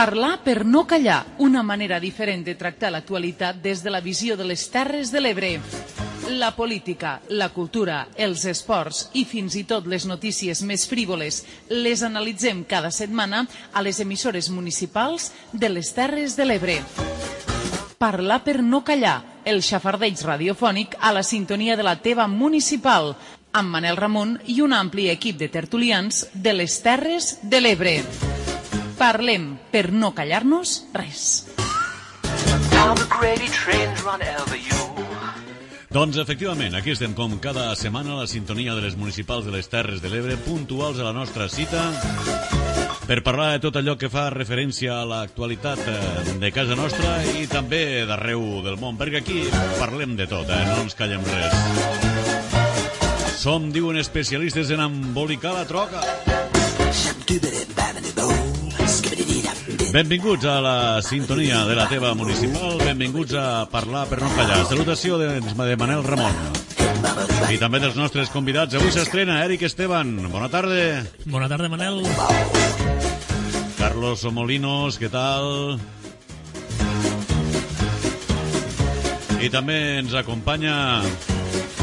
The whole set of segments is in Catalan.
Parlar per no callar, una manera diferent de tractar l'actualitat des de la visió de les Terres de l'Ebre. La política, la cultura, els esports i fins i tot les notícies més frívoles les analitzem cada setmana a les emissores municipals de les Terres de l'Ebre. Parlar per no callar, el xafardeig radiofònic a la sintonia de la teva municipal, amb Manel Ramon i un ampli equip de tertulians de les Terres de l'Ebre. Parlem per no callar-nos res. Doncs efectivament, aquí estem com cada setmana a la sintonia de les municipals de les Terres de l'Ebre, puntuals a la nostra cita, per parlar de tot allò que fa referència a l'actualitat de casa nostra i també d'arreu del món, perquè aquí parlem de tot, no ens callem res. Som, diuen especialistes en embolicar la troca. Benvinguts a la sintonia de la teva municipal, benvinguts a Parlar per no callar. Salutació de Manel Ramon. I també dels nostres convidats. Avui s'estrena Eric Esteban. Bona tarda. Bona tarda, Manel. Carlos Molinos, què tal? I també ens acompanya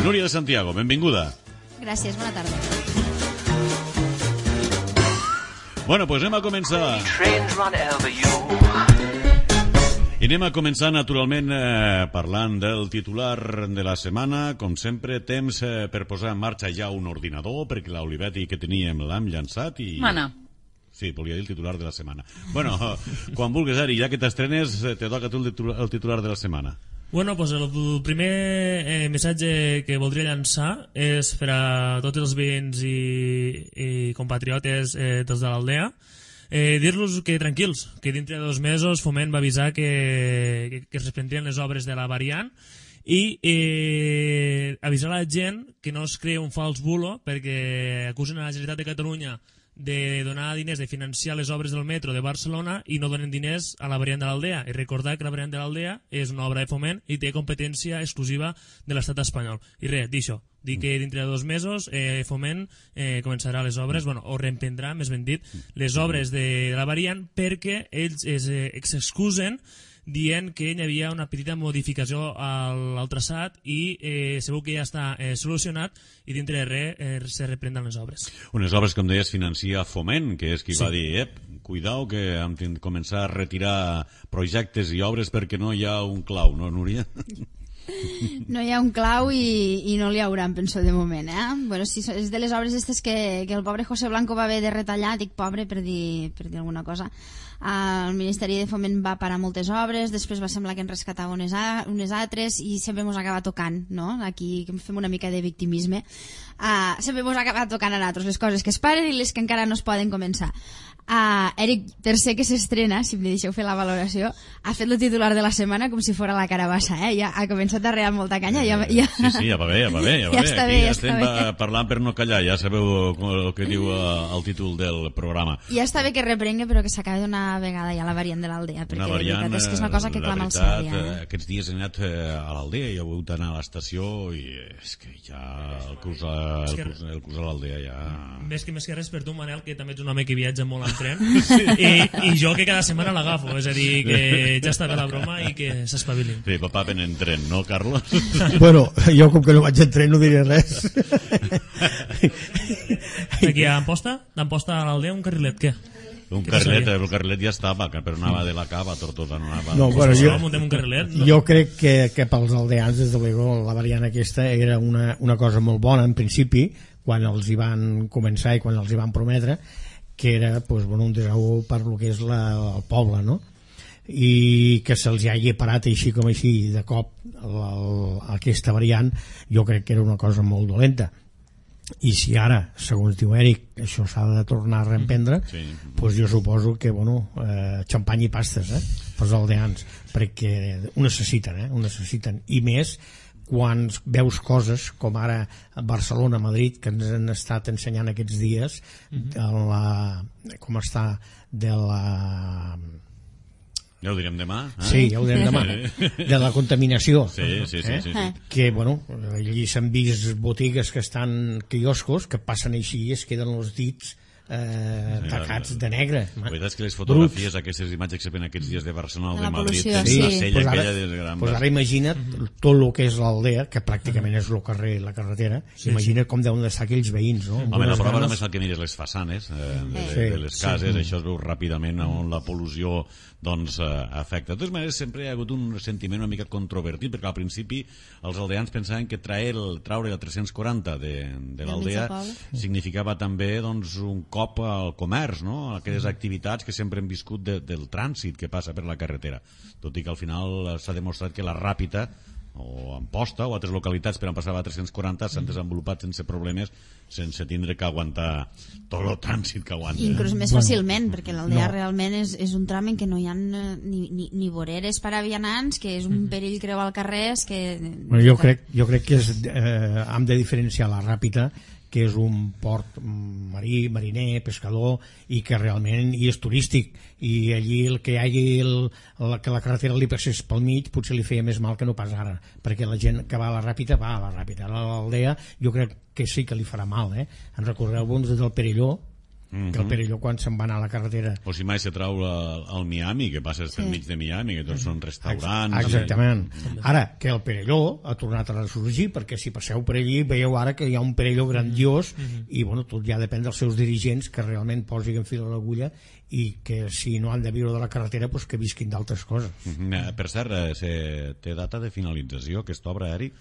Núria de Santiago. Benvinguda. Gràcies, bona tarda. Bueno, pues anem a començar. I anem a començar, naturalment, parlant del titular de la setmana. Com sempre, temps per posar en marxa ja un ordinador, perquè l'Olivetti que teníem l'hem llançat i... Mana. Sí, volia dir el titular de la setmana. Bueno, quan vulguis, Ari, ja que t'estrenes, te toca tu el titular de la setmana. Bueno, pues el primer missatge que voldria llançar és per a tots els veïns i compatriotes dels de l'Aldea, dir-los que tranquils, que dintre de 2 mesos Foment va avisar que es reprendrien les obres de la variant i avisar a la gent que no es crea un fals bulo perquè acusen a la Generalitat de Catalunya de donar diners, de financiar les obres del metro de Barcelona i no donen diners a la variant de l'Aldea. I recordar que la variant de l'Aldea és una obra de Foment i té competència exclusiva de l'estat espanyol. I res, dir això, dir que dintre de 2 mesos Foment començarà les obres, bueno, o reemprendrà, més ben dit, les obres de la variant perquè ells s'excusen dient que hi havia una petita modificació al traçat i segur que ja està solucionat i dintre de res se reprenen les obres. Unes obres, com deies, financia Foment, que és qui va dir, cuidao que hem de començar a retirar projectes i obres perquè no hi ha un clau, no, Núria? No hi ha un clau i no l'hi haurà, penso, de moment, Bueno, si és de les obres aquestes que el pobre José Blanco va haver de retallar, dic pobre per dir alguna cosa. El Ministeri de Foment va parar moltes obres, després va semblar que en rescatava unes altres i sempre mos acaba tocant, no? Aquí fem una mica de victimisme. Sempre mos acaba tocant a nosaltres les coses que es paren i les que encara no es poden començar. Eric Tercer, que s'estrena, si em deixeu fer la valoració, ha fet el titular de la setmana com si fos la carabassa, ja ha començat a rear molta canya. Sí, ja va bé. Ja està bé, ja estem parlant per no callar, ja sabeu el que diu el títol del programa. Ja està bé que reprengue, però que s'acabi d'una vegada ja la variant de l'Aldea, perquè la veritat és que és una cosa que clama al cel. Aquests dies he anat a l'Aldea i he hagut d'anar a l'estació i és que ja el curs a l'Aldea ja... Més que res per tu, Manel, que també ets un home que viatja molt en tren, i jo que cada setmana l'agafo, és a dir, que ja està bé la broma i que s'espavilin. Sí, papà ven en tren, no, Carlos? Bueno, jo com que no vaig en tren no diré res. Aquí a Amposta a l'Aldea un carrilet, què? Un carrilet, el carrilet ja estava, però anava de la cava a Tortosa, no anava... No, bueno, jo crec que pels aldeans, des de luego, la variant aquesta era una cosa molt bona, en principi, quan els hi van començar i quan els hi van prometre, que era un desau per lo que és el poble, no? I que se'ls hagi parat així com així de cop aquesta variant, jo crec que era una cosa molt dolenta. I si ara, segons diu Eric, això s'ha de tornar a reemprendre, doncs jo suposo que xampany i pastes pels aldeans, perquè ho necessiten, i més quan veus coses com ara a Barcelona, a Madrid, que ens han estat ensenyant aquests dies com està de la... Ja ho direm demà. Sí, ja ho direm demà. De la contaminació. Sí. Que, allí s'han vist botigues que estan quioscos, que passen així i es queden els dits tacats de negre. La veritat és que les fotografies, aquestes imatges que se ven aquests dies de Barcelona o de Madrid, pol·lució, tenen la sella aquella de gran... Pues ara imagina't tot el que és l'aldea, que pràcticament és el carrer i la carretera, imagina't com deuen d'estar aquells veïns, no? Home, la prova només el que mires les façanes de les cases, això es veu ràpidament on la pol·lució doncs afecta. De totes maneres, sempre hi ha hagut un sentiment una mica controvertit, perquè al principi els aldeans pensaven que traure el 340 de l'aldea significava també doncs, un cop al comerç, no? Aquelles activitats que sempre hem viscut del trànsit que passa per la carretera, tot i que al final s'ha demostrat que la Ràpita o Amposta o altres localitats per on passava a 340 s'han desenvolupat sense problemes, sense tindre que aguantar tot el trànsit que aguanta. Inclús més fàcilment, perquè l'aldea realment és un tram en què no hi ha ni voreres per a vianants, que és un perill creuar el carrer. Bueno, jo crec que hem de diferenciar la Ràpita, que és un port marí, mariner, pescador, i que realment és turístic, i allí el que hi hagi que la carretera li passés pel mig potser li feia més mal que no pas ara, perquè la gent que va a la Ràpita va a la Ràpita. A l'aldea jo crec que sí que li farà mal, En recordeu-vos del Perelló, que el Perelló quan se'n va anar a la carretera... O si mai se trau al Miami, que passes pel mig de Miami, que tots són restaurants... Exactament. Ara, que el Perelló ha tornat a ressorgir, perquè si passeu per allí veieu ara que hi ha un Perelló grandiós i bueno, tot ja depèn dels seus dirigents que realment posin fil a l'agulla i que si no han de viure de la carretera pues que visquin d'altres coses. Per cert, té data de finalització aquesta obra, Eric?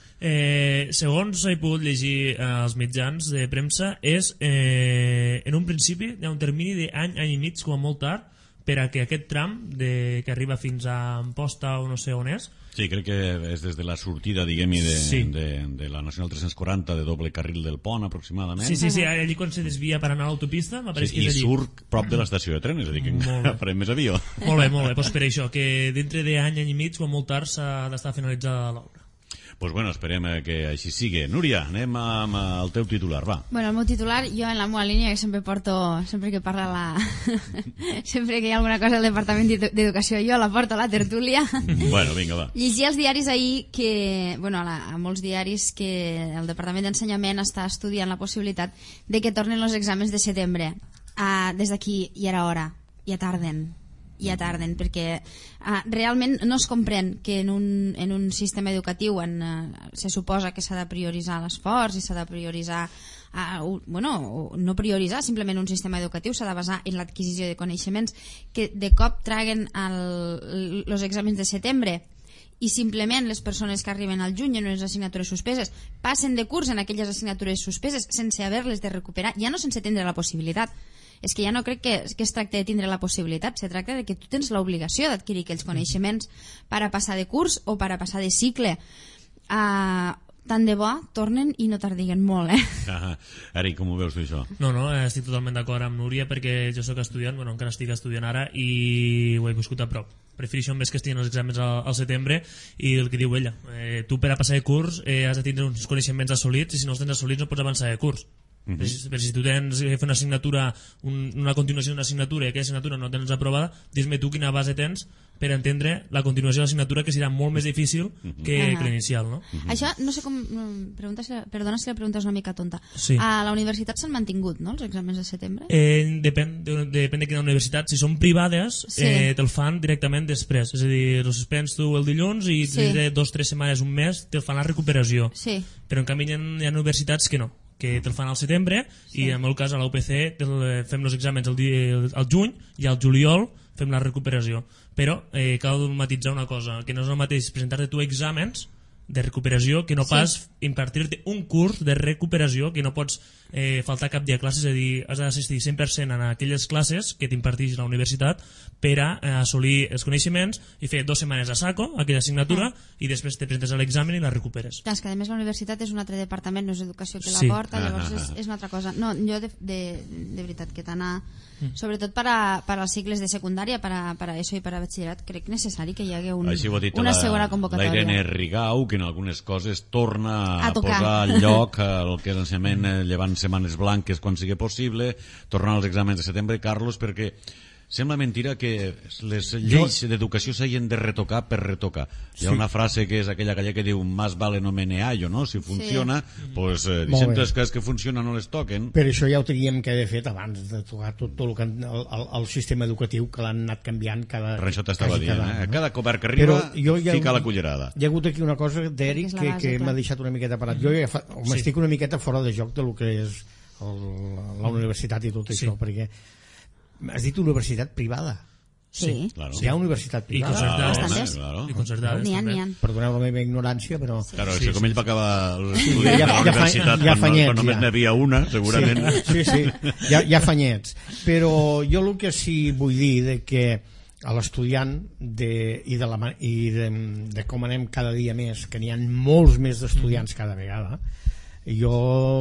Segons he pogut llegir als mitjans de premsa, és en un principi hi ha un termini d'any i mig com a molt tard per a que aquest tram que arriba fins a Amposta o no sé on és. Sí, crec que és des de la sortida, diguem-hi, de la Nacional 340 de doble carril del pont, aproximadament. Sí, allí quan se desvia per anar a l'autopista, m'apareix que i és allí. surt prop de l'estació de tren, és a dir, que encara farem més avió. Molt bé, doncs per això, que dintre d'any i mig, com molt tard, s'ha d'estar finalitzada l'obra. Doncs bueno, esperem que així sigui. Núria, anem amb el teu titular, va. Bueno, el meu titular, jo en la meva línia que sempre porto, sempre que parla sempre que hi ha alguna cosa al Departament d'Educació, jo la porto a la tertúlia. Bueno, vinga, va. Llegia als diaris ahir que, bueno, a molts diaris, que el Departament d'Ensenyament està estudiant la possibilitat de que tornen els exàmens de setembre. Des d'aquí ja era hora, ja tarden, perquè realment no es comprèn que en un sistema educatiu se suposa que s'ha de prioritzar l'esforç i s'ha de prioritzar no prioritzar simplement un sistema educatiu, s'ha de basar en l'adquisició de coneixements, que de cop traguen els exàmens de setembre i simplement les persones que arriben al juny en unes assignatures suspeses passen de curs en aquelles assignatures suspeses sense haver-les de recuperar, ja no sense tindre la possibilitat. És que ja no crec que es tracta de tindre la possibilitat, se tracta de que tu tens l'obligació d'adquirir aquells coneixements per a passar de curs o per a passar de cicle. Tant de bo tornen i no tardiguen molt, Eric, com ho veus tu, això? No, estic totalment d'acord amb Núria, perquè jo sóc estudiant, bueno, encara estic estudiant ara i ho he viscut a prop. Prefereixo més que estiguin els exàmens al setembre, i el que diu ella, tu per a passar de curs has de tindre uns coneixements assolits, i si no els tens assolits no pots avançar de curs. Però si tu tens que fer una assignatura, una continuació d'una assignatura, i aquella assignatura no tens aprovada, dis-me tu quina base tens per entendre la continuació de l'assignatura, que serà molt més difícil que l'inicial, no? Això, no sé com... Perdona si la pregunta és una mica tonta. Sí. A la universitat s'han mantingut, no?, els exàmens de setembre? Depèn de quina universitat. Si són privades, te'l fan directament després. És a dir, els suspens tu el dilluns i 2 o 3 setmanes, un mes, te'l fan la recuperació. Sí. Però en canvi hi ha universitats que no, que te'l fan al setembre, i en el meu cas a la UPC fem els exàmens al juny i al juliol fem la recuperació. Però cal matitzar una cosa, que no és el mateix presentar-te tu exàmens de recuperació que no pas impartir-te un curs de recuperació, que no pots faltar cap dia a classes, és a dir, has d'assistir 100% a aquelles classes que t'imparteix la universitat per a assolir els coneixements i fer 2 setmanes a saco aquella assignatura i després te presentes a l'examen i la recuperes. Clar, és que a més la universitat és un altre departament, no és educació que la porta, llavors és una altra cosa. No, jo de veritat que t'anar, sobretot per als cicles de secundària, per a ESO i per a batxillerat, crec necessari que hi hagi una segona convocatòria. La Irene Rigau, que en algunes coses torna a posar al lloc el que és l'ensenyament llevant setmanes blanques quan sigui possible, tornar als exàmens de setembre. Carlos, perquè sembla mentira que les lleis d'educació s'hagin de retocar per retocar. Hi ha una frase que és aquella que diu más vale no meneallo, no? Si funciona, pues deixem les coses que funcionen no les toquen. Per això ja ho teníem que haver fet abans de tocar tot el que el sistema educatiu, que l'han anat canviant cada... Per això t'estava dient, cada govern que arriba fica la cullerada. Hi ha hagut aquí una cosa d'Eric que m'ha deixat una miqueta parat. Jo ja m'estic una miqueta fora de joc del que és la universitat i tot això, perquè has dit universitat privada. Sí. Hi ha universitat privada. I concertades. N'hi ha. Perdoneu la meva ignorància, però... Claro, si com ell va acabar l'estudi a la universitat quan només n'hi havia una, segurament. Sí, ja fa anyets. Però jo el que sí vull dir de que a l'estudiant i de com anem cada dia més, que n'hi ha molts més d'estudiants cada vegada, jo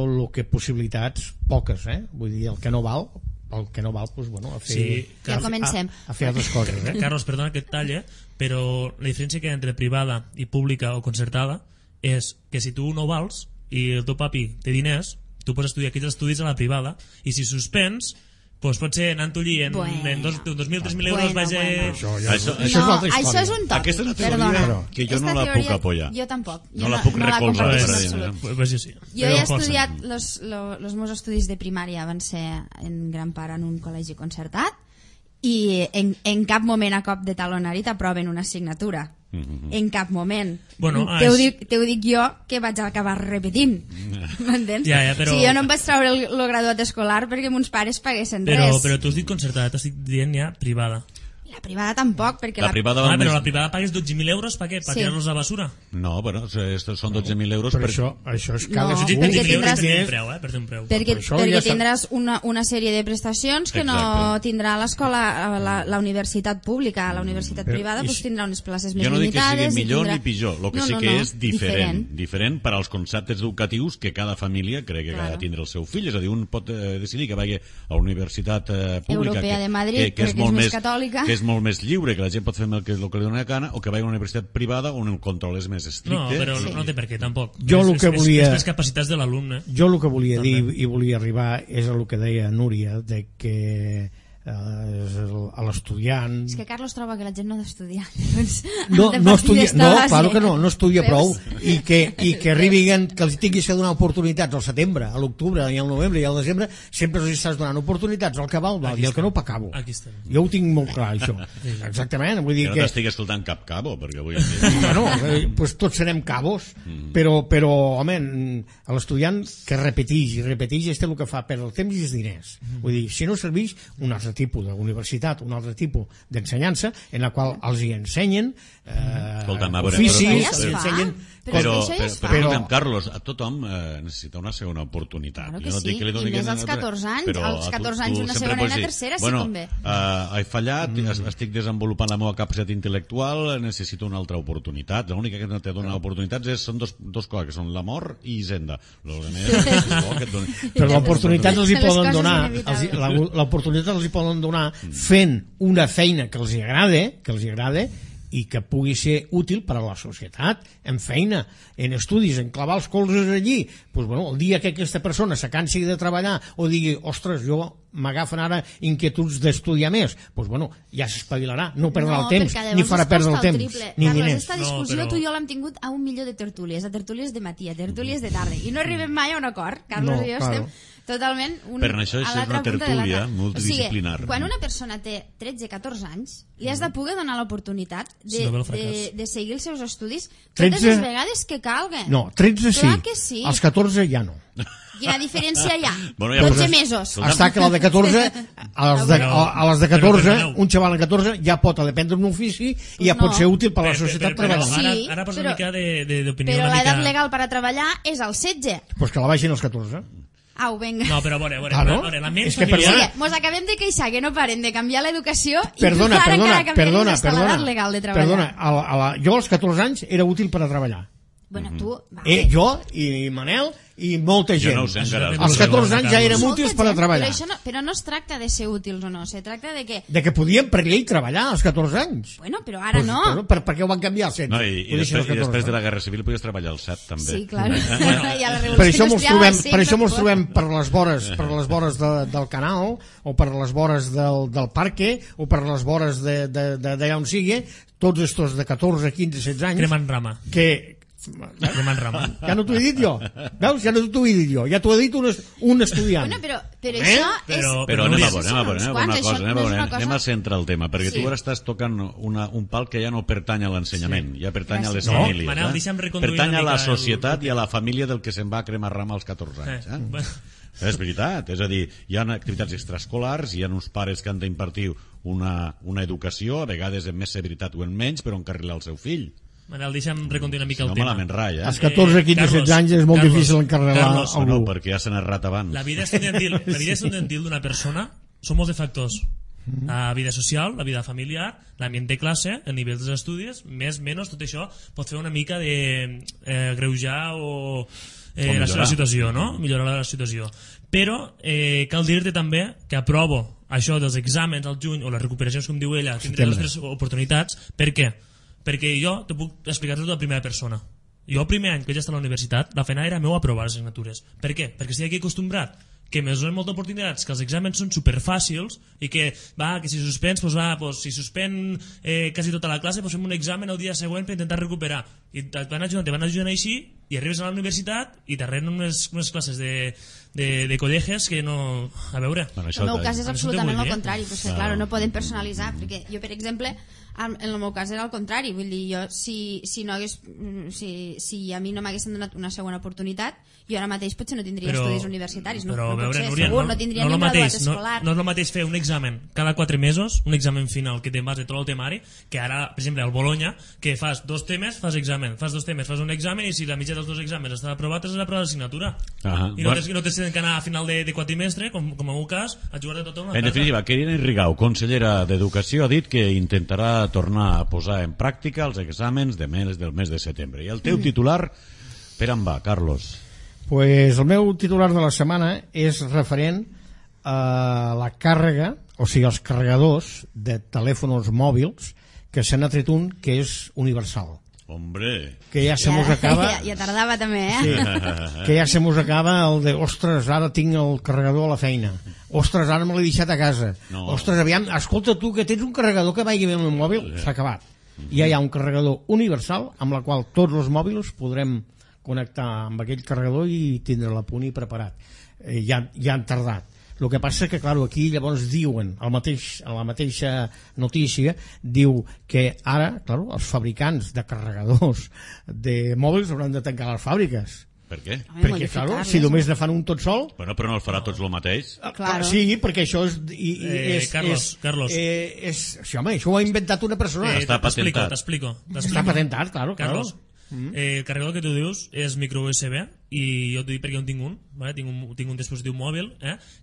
el que possibilitats poques, vull dir, el que no val, doncs, bueno, a fer, ja comencem. A fer altres coses. Carlos, perdona que et talle, però la diferència que hi ha entre privada i pública o concertada és que si tu no vals i el teu papi té diners, tu pots estudiar aquells estudis a la privada, i si suspens, doncs potser anant-ho allí en 2.000, 3.000 euros vaja... Això és un toc. Aquesta és una teoria que jo no la puc apoyar. Jo tampoc. No la puc recolzar. Jo he estudiat, els meus estudis de primària van ser en gran part en un col·legi concertat, i en cap moment a cop de talonari t'aproven una assignatura. En cap moment. Te ho dic jo, que vaig acabar repetint. M'entens? Però... Si jo no em vaig treure el graduat escolar perquè mons pares paguessin res. Però tu has dit concertada, t'estic dient ja privada. La privada tampoc, perquè però la privada pagues 12.000 euros per què? Per tirar-los a la basura? No, però són 12.000 euros per això és cada... No, perquè tindràs un preu. Perquè tindràs una sèrie de prestacions que no tindrà l'escola, la universitat pública. La universitat privada tindrà unes places més limitades. Jo no dic que sigui millor ni pitjor, el que sí que és diferent per als conceptes educatius que cada família crec que ha de tindre el seu fill. És a dir, un pot decidir que vagi a la universitat pública Europea de Madrid, que és més catòlica, que és molt més lliure, que la gent pot fer el que li dona la gana, o que vagi a una universitat privada on el control és més estricte. No, però no té per què, tampoc. És les capacitats de l'alumne. Jo el que volia dir i volia arribar és a el que deia Núria, de que a l'estudiant... És que Carlos troba que la gent no ha d'estudiar. No estudia prou, i que arribin, que els tinguis que donar oportunitats al setembre, a l'octubre, i al novembre i al desembre, sempre els estàs donant oportunitats, el que val, i el que no pa cabo. Jo ho tinc molt clar, això. Exactament. Vull dir que no t'estic escoltant cap cabo, perquè avui... Bueno, doncs tots serem cabos, però home, a l'estudiant que repeteix, és el que fa perdre el temps i els diners. Vull dir, si no serveix, un altre tipus d'universitat, un altre tipus d'ensenyança en la qual els hi ensenyen oficis, però Carlos, a tothom necessita una segona oportunitat. Claro que sí, i més als 14 anys, als 14 anys una segona i una tercera, si convé. He fallat, estic desenvolupant la meva capacitat intel·lectual, necessito una altra oportunitat. L'única que no te dona oportunitats són dos coses, que són l'amor i Hisenda. Però l'oportunitat els hi poden donar, l'oportunitat els hi poden donar fent una feina que els agrada i que pugui ser útil per a la societat, en feina, en estudis, en clavar els colzes allí. Pues, bueno, el dia que aquesta persona se cansi de treballar o digui, ostres, jo m'agafen ara inquietuds d'estudiar més, pues, bueno, ja s'espavilarà, no perdrà el temps, ni farà perdre el temps, ni diners. Aquesta discussió tu i jo l'hem tingut a un milió de tertúlies, a tertúlies de matí, a tertúlies de tarda, i no arribem mai a un acord. Carlos i jo estem totalment per això és una tertúlia multidisciplinar. Quan una persona té 13-14 anys, li has de poder donar l'oportunitat de seguir els seus estudis totes les vegades que calgui. No, 13 sí, als 14 ja no. Quina diferència hi ha? 12 mesos. Està que la de 14, a les de 14, un xaval de 14 ja pot aprendre un ofici i ja pot ser útil per a la societat treballant. Ara posa una mica d'opinió. Però l'edat legal per a treballar és el 16. Doncs que la baixin als 14. Au, venga. No, però la ment familiar... Mos acabem de queixar que no paren de canviar l'educació i perdona, encara canviar l'edat legal de treballar. Perdona, jo als 14 anys era útil per a treballar. Bueno, tu... Jo i Manel i molta gent. Jo no ho sé encara. Als 14 anys ja érem útils per a treballar. Però no es tracta de ser útils o no, se tracta de que... De que podíem per llei treballar als 14 anys. Bueno, però ara no. Per què ho van canviar als 16? No, i després de la Guerra Civil podies treballar als 7 també. Sí, clar. I a la Per Revolució això mos trobem per les vores del canal o per les vores del parque o per les vores d'allà on sigui, tots estos de 14, 15, 16 anys Cremant rama. Cremant rama. Ja no t'ho he dit jo. Veus? Ja no t'ho he dit jo. Ja t'ho ha dit un estudiant. Bueno, però això és... Però anem a centrar el tema, perquè tu ara estàs tocant un pal que ja no pertany a l'ensenyament, ja pertany a les famílies. Manel, deixa'm reconduir pertany una a la mica societat i a la família del que se'n va a cremar rama als 14 anys. És veritat, és a dir, hi ha activitats extraescolars, hi ha uns pares que han d'impartir una educació, a vegades amb més severitat o en menys, però encarrilar el seu fill. Manel, deixa'm reconduir una mica el no tema. Malament rai, Als 14, 15, 16 anys és molt difícil encarregar algú. No, perquè ja s'han errat abans. La vida estudiantil d'una persona són molts de factors. La vida social, la vida familiar, l'ambient de classe, el nivell dels estudis, més, menys, tot això pot fer una mica de greujar o la situació, no? Millorar la situació. Però cal dir-te també que aprovo això dels exàmens al juny o les recuperacions, com diu ella, tindré les tres oportunitats. Per què? Perquè jo te puc explicar tot de primera persona. Jo el primer any que vaig estar a la universitat, la feina era meu aprovar les assignatures. Per què? Perquè estic aquí acostumbrat que me donen moltes oportunitats, que els exàmens són superfàcils i que si suspens, si suspèn quasi tota la classe, fem un examen el dia següent per intentar recuperar. I te van ajudant així i arribes a la universitat i t'arrenen unes classes de col·leges que no... A veure... El meu cas és absolutament el contrari, però és que, clar, no podem personalitzar, perquè jo, per exemple, en el meu cas era al contrari, vull dir, jo si a mi no m'haguessin donat una segona oportunitat, jo ara mateix potser no tindria estudis universitaris, no potser, segur, no tindria ni graduat escolar. No és el mateix fer un examen cada 4 mesos, un examen final que te'n vas de tot el temari, que ara, per exemple, al Bologna, que fas 2 temes, fas examen, fas 2 temes, fas un examen, i si la mitja dels 2 exàmens està aprovat, has d'aprovar l'assignatura. I no tens que anar a final de quadrimestre, com en el meu cas, a jugar de tot una En definitiva, Irene Rigau, consellera d'Educació, ha dit que intentarà tornar a posar en pràctica els exàmens del mes de setembre. I el teu titular, per on va, Carlos? Pues el meu titular de la setmana és referent a la càrrega, o sigui, els carregadors de telèfons mòbils, que se n'ha tret un que és universal. Hombre, que ja se mos acaba... Ja tardava també, Sí, que ja se mos acaba el de ostres, ara tinc el carregador a la feina, ostres, ara me l'he deixat a casa, ostres, aviam, escolta tu que tens un carregador que vagi bé amb el mòbil, s'ha acabat. Ja hi ha un carregador universal amb la qual tots els mòbils podrem connectar amb aquell carregador i tindre-la a punt i preparat. Ja han tardat. El que passa que, clar, aquí llavors diuen, a la mateixa notícia, diu que ara, clar, els fabricants de carregadors de mòbils hauran de tancar les fàbriques. Per què? Perquè, clar, si només ne fan un tot sol... Bueno, però no el farà tots el mateix. Sí, perquè això és... Carlos. Sí, home, això ho ha inventat una persona. Està patentat. T'explico. Està patentat, claro. Carlos, el carregador que tu dius és micro USB i jo t'ho dic perquè jo en tinc un, ¿vale? tinc un dispositiu mòbil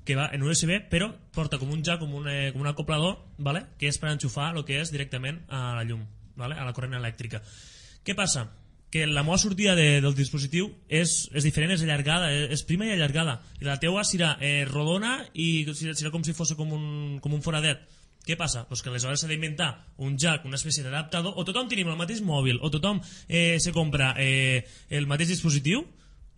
que va en USB però porta com un jack, com un acoplador, ¿vale? Que és per enxufar el que és directament a la llum, ¿vale? A la corrent elèctrica. Què passa? Que la meva sortida del dispositiu és diferent, és allargada, és prima i allargada, i la teua serà rodona i serà com si fos com un foradet. Què passa? Pues que aleshores s'ha d'inventar un jack, una espècie d'adaptador, o tothom tenim el mateix mòbil, o tothom se compra el mateix dispositiu,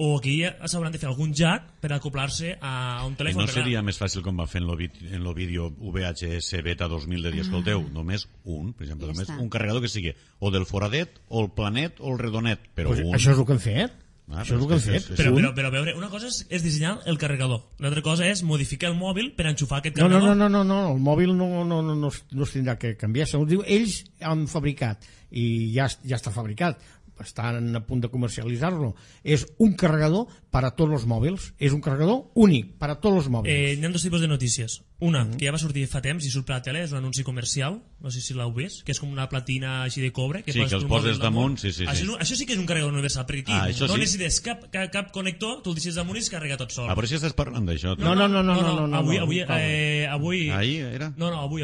o aquí s'hauran de fer algun jack per acoplar-se a un telèfon. I no seria més fàcil com va fer en el vídeo VHS Beta 2000 de dir, escolteu, només un, per exemple, només un carregador que sigui o del foradet, o el planet, o el redonet, però un. Això és el que han fet. Això és el que han fet. Però a veure, una cosa és dissenyar el carregador, l'altra cosa és modificar el mòbil per enxufar aquest No, carregador. no, el mòbil no es tindrà que canviar. Segons diu, ells han fabricat i ja està fabricat, estan a punt de comercialitzar-lo. És un carregador per a tots els mòbils, és un carregador únic per a tots els mòbils. Hi ha 2 tipus de notícies. Una, que ja va sortir fa temps i surt per la tele, és un anunci comercial, no sé si l'heu vist, que és com una platina així de cobre. Sí, que els poses damunt, sí. Això sí que és un carregador universal, perquè aquí no necessites cap connector, tu el deixes damunt i es carrega tot sol. Ah, però si estàs parlant d'això. No. Avui... Ahir era? No, avui.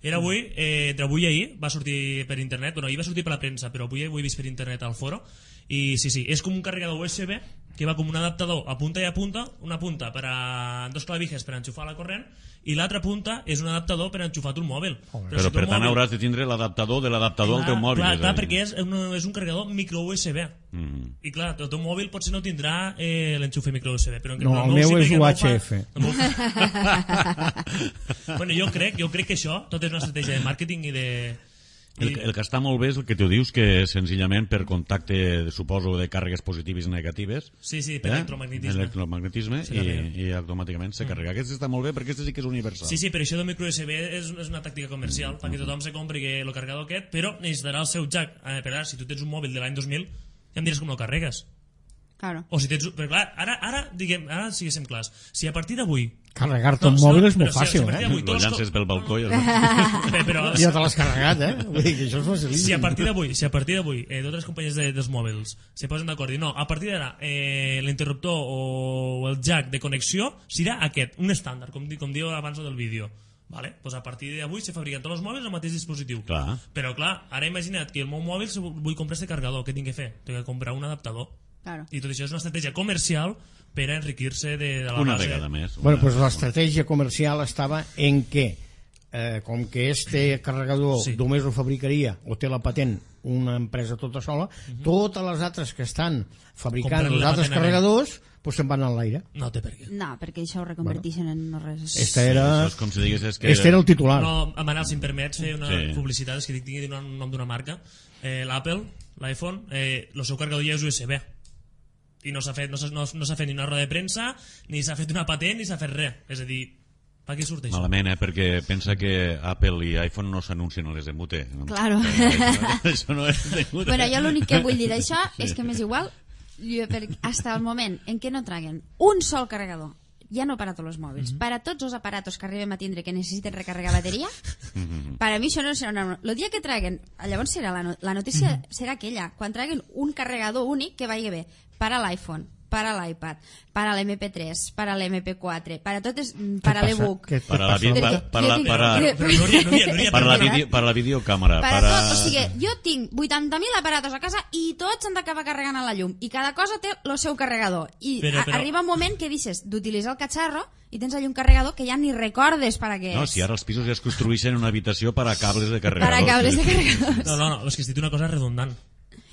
Era avui, entre avui i ahir va sortir per internet, bueno, ahir va sortir per la premsa, però avui ho he vist per internet al foro, I sí, és com un carregador USB que va com un adaptador a punta i a punta, una punta per a dos clavijes per enxufar la corrent i l'altra punta és un adaptador per enxufar tu el mòbil. Però per tant hauràs de tindre l'adaptador de l'adaptador al teu mòbil. Clar, perquè és un carregador micro USB. I clar, el teu mòbil potser no tindrà l'enxufe micro USB. Però no, el meu és UHF. Bueno, jo crec que això tot és una estratègia de màrqueting i de... El que està molt bé és el que tu dius, que senzillament per contacte, suposo, de càrregues positives i negatives. Sí, per electromagnetisme i automàticament se carrega. Aquest està molt bé perquè aquest sí que és universal. Sí, però això del micro USB és una tàctica comercial perquè tothom se compri el carregador aquest, però necessitarà el seu jack. Per ara, si tu tens un mòbil de l'any 2000, ja em diràs com no carregues. Claro. O si tens... Però clar, ara siguéssim clars. Si a partir d'avui... Carregar-te un mòbil és molt fàcil, Lo llances pel balcó i... Ja te l'has carregat, Vull dir que això és facilíssim. Si a partir d'avui totes les companyies dels mòbils se posen d'acord i no, a partir d'ara l'interruptor o el jack de connexió serà aquest, un estàndard, com diu abans del vídeo. Vale? Pues a partir d'avui se fabriquen tots els mòbils al mateix dispositiu. Clar. Però clar, ara imagina't que el meu mòbil vull comprar este carregador, què tinc que fer? Tinc que comprar un adaptador. Claro. I tot això és una estratègia comercial per a enriquir-se de la una base. vegada més. Bueno, pues l'estratègia comercial estava en que com que este carregador només ho fabricaria o té la patent una empresa tota sola, totes les altres que estan fabricant els altres carregadors pues se'n van a l'aire. No té per què. No, perquè això ho reconverteixen en no res. Este era el titular. No, Manel, si em permets fer una publicitat, és que tinc que dir un nom d'una marca. L'Apple, l'iPhone, el seu carregador ja és USB. I no s'ha fet ni una roda de premsa, ni s'ha fet una patent, ni s'ha fet res. És a dir, per què surt això? Malament, perquè pensa que Apple i iPhone no s'anuncien a les de Mute. Claro. Això no és de Mute. Bueno, jo l'únic que vull dir d'això és que m'és igual, hasta el moment en què no traguen un sol carregador, ja no per a tots els mòbils, per a tots els aparatos que arribem a tindre que necessiten recarregar bateria, per a mi això no serà una... El dia que traguen, llavors serà la notícia serà aquella, quan traguen un carregador únic que vagi bé per a l'iPhone, per a l'iPad, per a l'MP3, per a l'MP4, per a totes, per a l'ebook, per a la videocàmera, per a tot. O sigui, jo tinc 80.000 aparatos a casa i tots han d'acabar carregant a la llum i cada cosa té el seu carregador i arriba un moment que deixes d'utilitzar el catxarro i tens allà un carregador que ja ni recordes per a què és. No, si ara els pisos ja es construeixen una habitació per a cables de carregadors. Per a cables de carregadors. No, és que has dit una cosa redundant.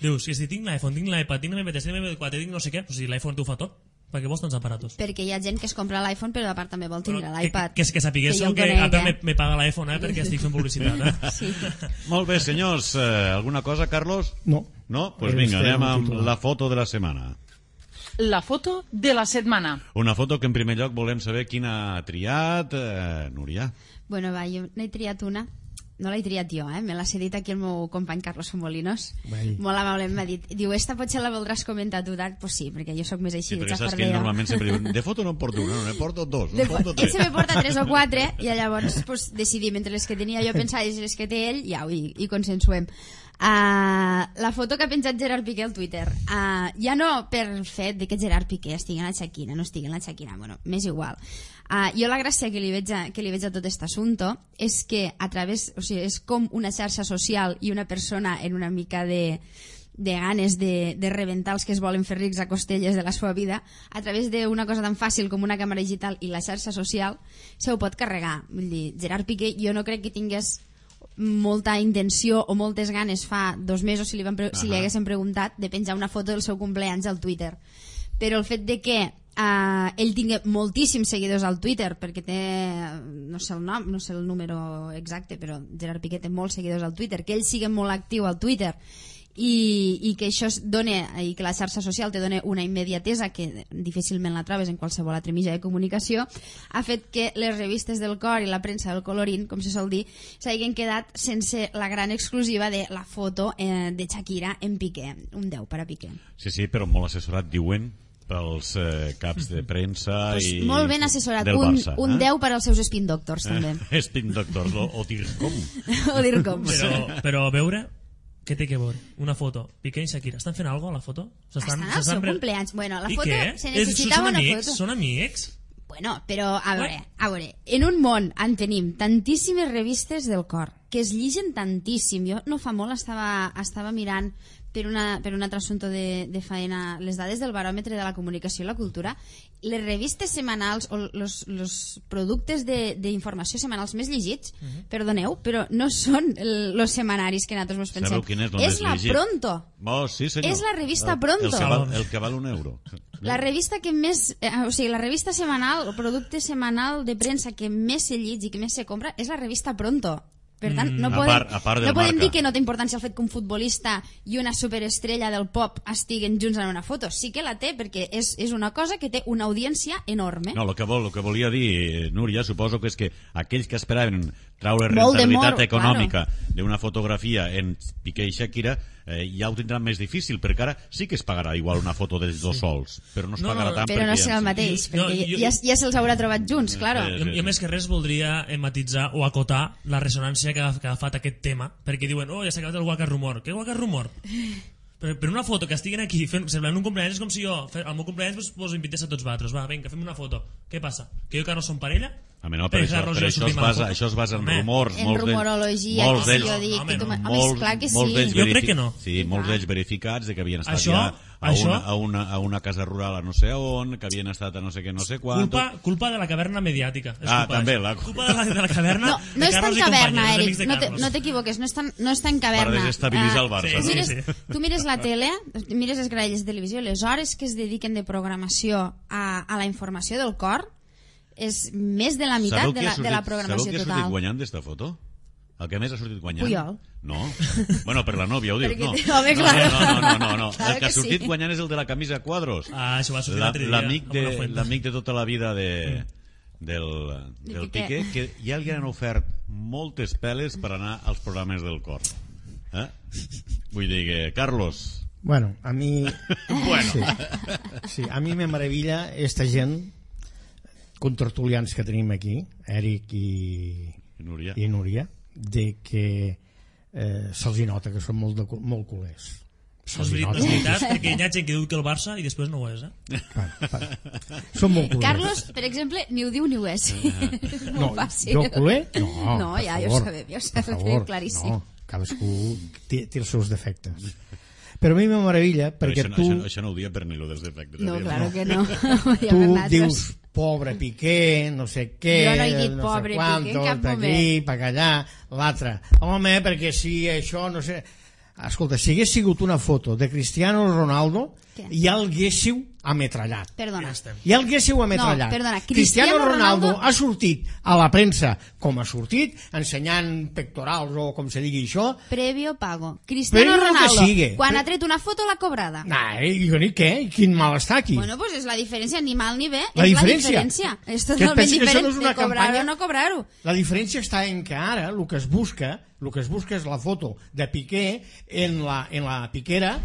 Dius, si tinc l'iPhone, tinc l'iPad, tinc l'MP3, tinc l'MP4, tinc no sé què, o sigui, l'iPhone t'ho fa tot. Per què vols tants aparatos? Perquè hi ha gent que es compra l'iPhone però a part també vol tindre l'iPad. Que sapiguéssiu que Apple me paga l'iPhone, perquè estic fent publicitat. Sí. Molt bé, senyors. Alguna cosa, Carlos? No. No? Doncs vinga, anem amb la foto de la setmana. La foto de la setmana. Una foto que en primer lloc volem saber quina ha triat Núria. Bueno, va, jo n'he triat una. No l'he triat jo, me l'ha cedit aquí el meu company Carlos Molinos. Molt amablement m'ha dit, diu, esta potser la voldràs comentar tu, pues sí, perquè jo sóc més així. Sí, perquè saps que ell normalment sempre diu, de foto no en porto una, no, ne porto dos, ne porto tres. Ell se me porta 3 o 4 i llavors pues, decidim entre les que tenia jo pensades i les que té ell, ja, i consensuem. La foto que ha penjat Gerard Piqué al Twitter, ja no per fet de que Gerard Piqué estigui en la Shakira, no estigui en la Shakira, bueno, m'és igual. Jo la gràcia que li veig a tot aquest assumpte és que a través, o sigui, és com una xarxa social i una persona en una mica de ganes de rebentar els que es volen fer rics a costelles de la seva vida, a través d'una cosa tan fàcil com una càmera digital i la xarxa social se ho pot carregar. Vull dir, Gerard Piqué jo no crec que tingués molta intenció o moltes ganes fa 2 mesos si li haguessin preguntat de penjar una foto del seu cumpleaños al Twitter, però el fet de que ell tingui moltíssims seguidors al Twitter, perquè té, no sé el nom, no sé el número exacte, però Gerard Piqué té molts seguidors al Twitter, que ell sigui molt actiu al Twitter i que això dona, i que la xarxa social te dona una immediatesa que difícilment la trobes en qualsevol altre mitjà de comunicació, ha fet que les revistes del cor i la premsa del colorín, com se sol dir, s'hagin quedat sense la gran exclusiva de la foto de Shakira en Piqué, un 10 per a Piqué. Sí, però molt assessorat, diuen, pels caps de premsa pues i molt ben assessorat, del Barça, un 10 per als seus spin doctors també. Spin doctors, o DIRCOM. O DIRCOM. Però a veure, què té que veure? Una foto, Piqué i Shakira, estan fent alguna cosa a la foto? Estan al seu cumpleaños. Bueno, la foto se necessitava necessitava una foto. Són amics? Bueno, però a veure, en un món en tenim tantíssimes revistes del cor que es lligen tantíssim. Jo no fa molt estava mirant per un altre assumpte de faena, les dades del baròmetre de la comunicació i la cultura, les revistes setmanals o els productes d'informació setmanals més llegits, perdoneu, però no són els setmanaris que nosaltres ens pensem. Sabeu quin és el És més la llegit? Pronto. Oh, sí, senyor. És la revista Pronto. El que val €1. La revista que més, o sigui, la revista setmanal, el producte setmanal de premsa que més se llitja i que més se compra és la revista Pronto. Per tant, no podem dir que no té importància el fet que un futbolista i una superestrella del pop estiguen junts en una foto. Sí que la té, perquè és una cosa que té una audiència enorme. No, el que volia dir, Núria, suposo que és que aquells que esperaven traure rentabilitat econòmica d'una fotografia en Piqué i Shakira ja ho tindran més difícil, perquè ara sí que es pagarà igual una foto dels dos sols, però no es pagarà tant. Però no serà el mateix, perquè ja se'ls haurà trobat junts, claro. Jo més que res voldria matitzar o acotar la ressonància que ha agafat aquest tema, perquè diuen, ja s'ha acabat el Waka Rumor. Què Waka Rumor? Per una foto que estiguin aquí semblant un cumpleaños, és com si jo al meu cumpleaños vos invités a tots vosaltres. Va, vinga, fem una foto. Què passa? Que jo i Carlos som parella? No, per això es basa en rumors. En rumorologia, que si jo dic. Home, clar que sí. Jo crec que no. Sí, molts d'ells verificats de que havien estat ja a una casa rural a no sé on, que havien estat a no sé què, no sé quant. Culpa de la caverna mediàtica. També. Culpa de la caverna. No és tan caverna, Eric, no t'equivoques, no és tan caverna. Per desestabilitzar el Barça. Tu mires la tele, mires les graelles de televisió, les hores que es dediquen de programació a la informació del cor és més de la meitat de la programació total. Sabeu qui ha sortit guanyant d'esta foto? El que més ha sortit guanyant? Puyol. No. Bueno, per la nòvia, ho diu. No. No. El que ha sortit guanyant és el de la camisa a quadros. Això va sortir l'altre dia. L'amic de tota la vida del Piqué, que ja li han ofert moltes peles per anar als programes del cor. Vull dir que, Carlos... Bueno, a mi... Sí, a mi me meravella esta gent contertulians que tenim aquí, Eric i Núria, de que se'ls nota que són molt culers. És veritat, perquè hi ha gent que diu que el Barça i després no ho és, Són molt culers. Carlos, per exemple, ni ho diu ni ho és. És molt fàcil. Jo culer? No, ja ho sabem, claríssim. No, cadascú té els seus defectes. Però a mi me meravella perquè tu... Això no ho dia per ni lo dels defectes. No, claro que no. Tu dius, pobre Piqué, no sé què... Jo no he dit pobre Piqué en cap moment. Aquí, per allà, l'altre. Home, perquè si això, no sé... Escolta, si hagués sigut una foto de Cristiano Ronaldo, ja el haguéssiu ametrallat. Perdona. Ja el haguéssiu ametrallat. No, perdona. Cristiano Ronaldo ha sortit a la premsa com ha sortit, ensenyant pectorals o com se digui això. Previo pago. Cristiano Ronaldo, quan ha tret una foto l'ha cobrada. I què? Quin mal està aquí? Bueno, pues és la diferència, ni mal ni bé. La diferència. És totalment diferent de cobrar-ho o no cobrar-ho. La diferència està en que ara el que es busca és la foto de Piqué en la piquera,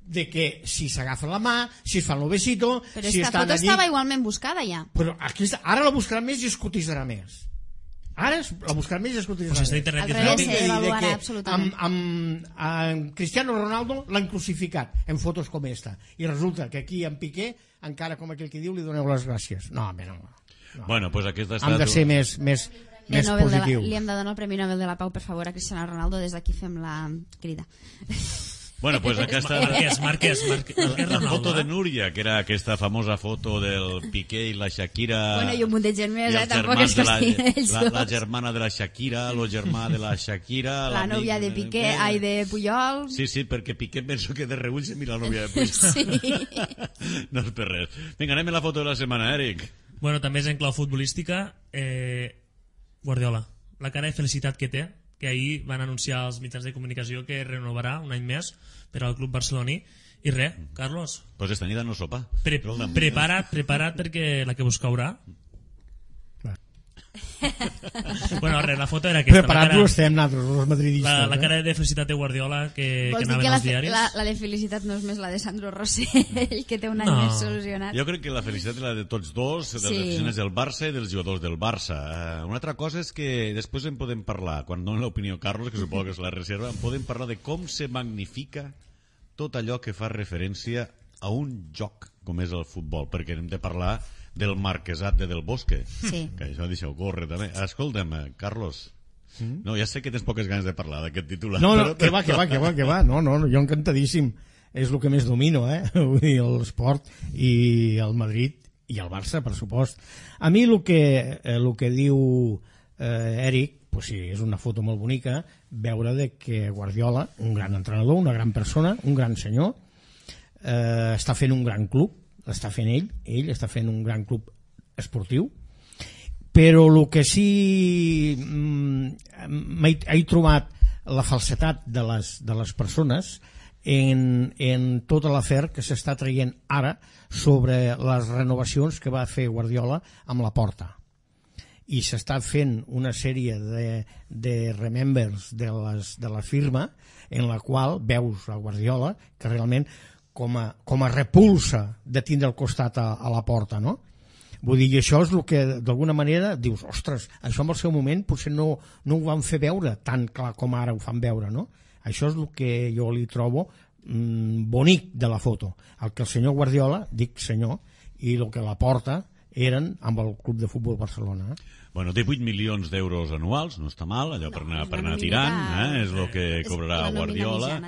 de que si s'agafa la mà, si es fa el besito... Però esta foto estava igualment buscada ja. Però ara la buscarà més i es cotitzarà més. Ara la buscarà més i es cotitzarà més. Al revés, s'avaluarà absolutament. Amb Cristiano Ronaldo l'han crucificat en fotos com esta. I resulta que aquí en Piqué, encara com aquell que diu, li doneu les gràcies. No, home, no. Bueno, pues aquesta està... Hem de ser més positiu. Li hem de donar el Premi Nobel de la Pau, per favor, a Cristiano Ronaldo. Des d'aquí fem la crida. Bueno, pues aquesta Marquès la foto de Núria, que era aquesta famosa foto del Piqué i la Shakira. Bueno, i un munt de gent més, tampoc és que estiguin ells dos. La germana de la Shakira, el germà de la Shakira... La nòvia de Piqué, de Puyol... Sí, perquè Piqué penso que de reull se mira la nòvia de Puyol. Sí. No és per res. Vinga, anem a la foto de la setmana, Eric. Bueno, també és en clau futbolística. Guardiola, la cara de felicitat que té, que ahir van anunciar als mitjans de comunicació que renovarà un any més per al club barceloní. I res, Carlos, pues esta nit no sopa. Prepara't perquè la que vos caurà. Bueno, res, la foto era aquesta. Preparats estem nosaltres, els madridistes. La cara de felicitat de Guardiola que anaven als diaris. La de felicitat no és més la de Sandro Rosell, que té un any més solucionat. Jo crec que la felicitat és la de tots dos, dels aficionats del Barça i dels jugadors del Barça. Una altra cosa és que després en podem parlar, quan doni l'opinió Carlos, que suposo que és la reserva, en podem parlar de com se magnifica tot allò que fa referència a un joc com és el futbol, perquè hem de parlar del marquesat de Del Bosque, que això deixa-ho córrer també. Escolta'm, Carlos, No, ja sé que tens poques ganes de parlar d'aquest titular. No, però... que va. No, jo encantadíssim. És el que més domino, vull dir, l'esport i el Madrid i el Barça, per supost. A mi el que diu Eric, pues sí, és una foto molt bonica, veure de que Guardiola, un gran entrenador, una gran persona, un gran senyor, està fent un gran club, l'està fent ell està fent un gran club esportiu, però el que sí he trobat la falsetat de les persones en tota l'afer que s'està traient ara sobre les renovacions que va fer Guardiola amb la Porta, i s'està fent una sèrie de remembers de la firma en la qual veus a Guardiola que realment com a repulsa de tindre al costat a la Porta, no? Vull dir, això és el que d'alguna manera dius, ostres, això en el seu moment potser no ho van fer veure tan clar com ara ho fan veure, no? Això és el que jo li trobo bonic de la foto, el que el senyor Guardiola, dic senyor, i el que la Porta eren amb el Club de Futbol Barcelona. Bueno, 18 milions d'euros anuals, no està mal, allò per anar tirant, és el que cobrarà Guardiola.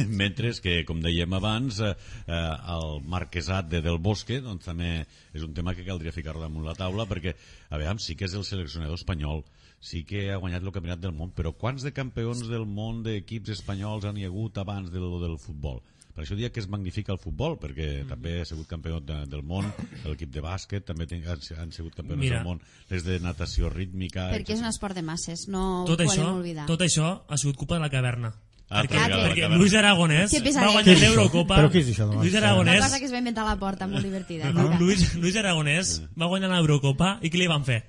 Mentre que, com dèiem abans, el marquesat de Del Bosque doncs també és un tema que caldria ficar damunt la taula, perquè, a veure, sí que és el seleccionador espanyol, sí que ha guanyat el campionat del món, però quants de campions del món d'equips espanyols han hi hagut abans del futbol? Per això diria que es magnifica el futbol, perquè també ha sigut campió del món, l'equip de bàsquet també han sigut campions del món, les de natació rítmica... Perquè és un esport de masses, no ho tot podem això, oblidar. Tot això ha sigut culpa de la caverna. Perquè Luis Aragonès va guanyar l'Eurocopa. Però què és això? Una cosa que es va inventar a la Porta, molt divertida. Luis Aragonès va guanyar l'Eurocopa i què li van fer?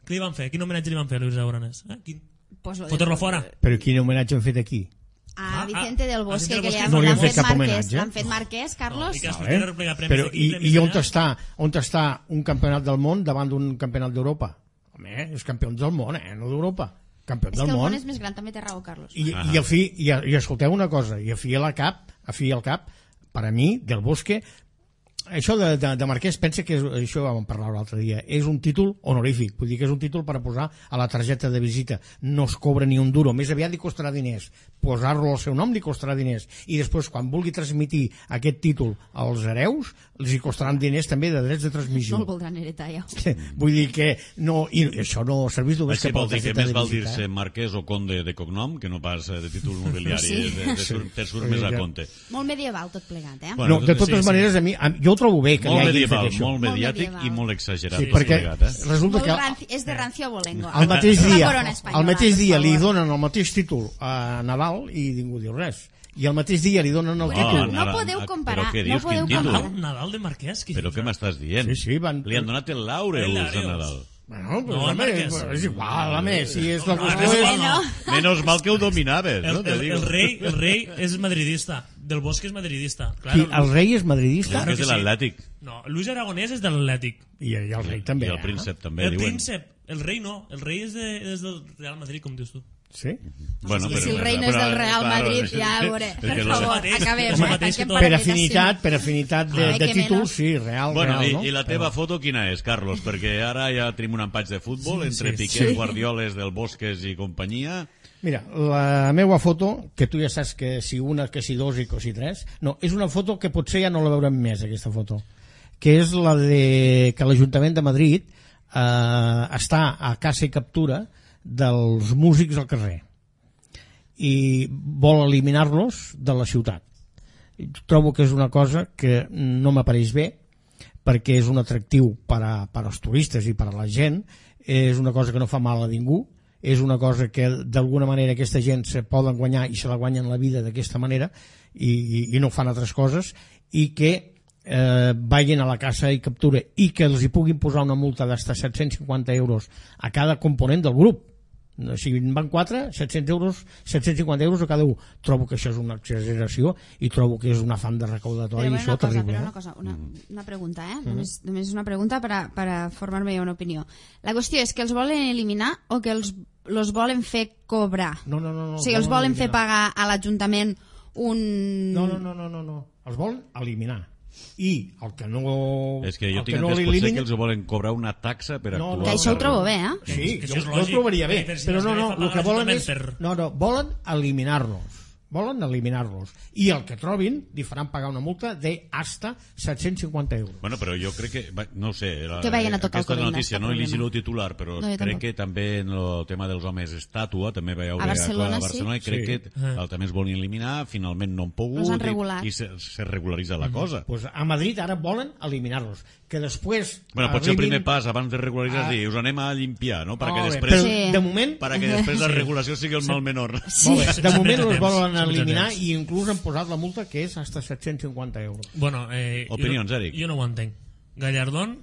Quin homenatge li van fer a Luis Aragonès? Fotre-lo fora. Però quin homenatge han fet aquí? A Vicente del Bosque, que no li han fet cap homenatge. L'han fet Marquès, Carlos. Però i on està un campionat del món davant d'un campionat d'Europa? Home, és campió del món, no d'Europa. Campió del món. És que el món és més gran, també té raó, Carlos. I escolteu una cosa, i a fi al cap, per a mi, del Bosque, això de Marquès, pensa que això vam parlar l'altre dia, és un títol honorífic, vull dir que és un títol per a posar a la targeta de visita, no es cobra ni un duro, més aviat li costarà diners, posar-lo al seu nom li costarà diners, i després quan vulgui transmitir aquest títol als hereus, els hi costaran diners també de drets de transmissió. No el voldran heretar ja. Vull dir que no, i això no serveix només que per la targeta de visita. Més val dir-se marquès o conde de cognom que no pas de títol mobiliari, te surt més a compte. Molt medieval tot plegat, No, de totes maneres, a mi, jo trobo bé que molt medieval, molt mediàtic i molt exagerat. Sí, perquè resulta que és de rancio abolengo. El mateix dia li donen el mateix títol a Nadal i ningú diu res. I el mateix dia li donen el títol. No podeu comparar. Però què dius, quin títol? Nadal de Marquès? Però què m'estàs dient? Sí, li han donat el Laureus a Nadal. Bueno, pues és igual, a més, si és la qüestió Menos mal que ho dominaves, no? El rei és madridista, Del Bosque és madridista. El rei és madridista? És de l'Atlètic. No, Luis Aragonès és de l'Atlètic. I el rei també. I el príncep també, diuen. El rei no, el rei és del Real Madrid, com dius tu. Sí? Bueno, si el rei no és del Real Madrid, ja veuré. Per favor, acabem. Per afinitat de títols, sí, Real. Bueno, i la teva foto quina és, Carlos? Perquè ara ja tenim un empatx de futbol entre Piqué, Guardioles, Del Bosques i companyia. Mira, la meva foto, que tu ja saps que si una, que si dos i que si tres, no, és una foto que potser ja no la veurem més, aquesta foto, que és la de que l'Ajuntament de Madrid està a caça i captura dels músics al carrer i vol eliminar-los de la ciutat. Trobo que és una cosa que no m'apareix bé, perquè és un atractiu per als turistes i per a la gent, és una cosa que no fa mal a ningú, és una cosa que d'alguna manera aquesta gent se poden guanyar i se la guanyen la vida d'aquesta manera i no fan altres coses, i que vagin a la caça i captura i que els hi puguin posar una multa d'hasta 750 euros a cada component del grup. Si en van 4, 750 euros a cada un. Trobo que això és una exageració i trobo que és un afany de recaudatori i això terrible. Una pregunta, només una pregunta per a formar-me una opinió. La qüestió és que els volen eliminar o que els volen fer cobrar? No. O sigui, els volen fer pagar a l'Ajuntament un... No. Els volen eliminar. i el que no... És que jo el tinc que no entès potser l'elimini- que els volen cobrar una taxa per No, actuar. Que això ho trobo bé, eh? Sí, Que jo això és ho lògic, trobaria bé, per si però les no, fa el que pagar volen l'Ajuntament és... No, volen eliminar-los. Volen eliminar-los. I el que trobin li faran pagar una multa de hasta 750 euros. Bueno, però jo crec que, no ho sé, Que vagin a tocar el aquesta corrent, notícia no no he hi ha llegit problema. el titular, però No, jo crec tampoc. que també en el tema dels homes estàtua també veieu A Barcelona, a Barcelona i crec sí. que també es volien eliminar, finalment no han pogut Els han regulat. i se regularitza la cosa. Pues a Madrid ara volen eliminar-los. Que després... Bueno, potser el arribin- primer pas abans de regularitzar és dir, us anem a limpiar, no? Perquè Molt bé, després, però Sí. de moment... perquè després la regulació sigui el mal menor. Sí. Molt bé, de moment Sempre els volen temps, eliminar sempre i inclús han posat la multa que és hasta 750 euros. Bueno, Opinions, Eric. Jo no ho entenc. Gallardón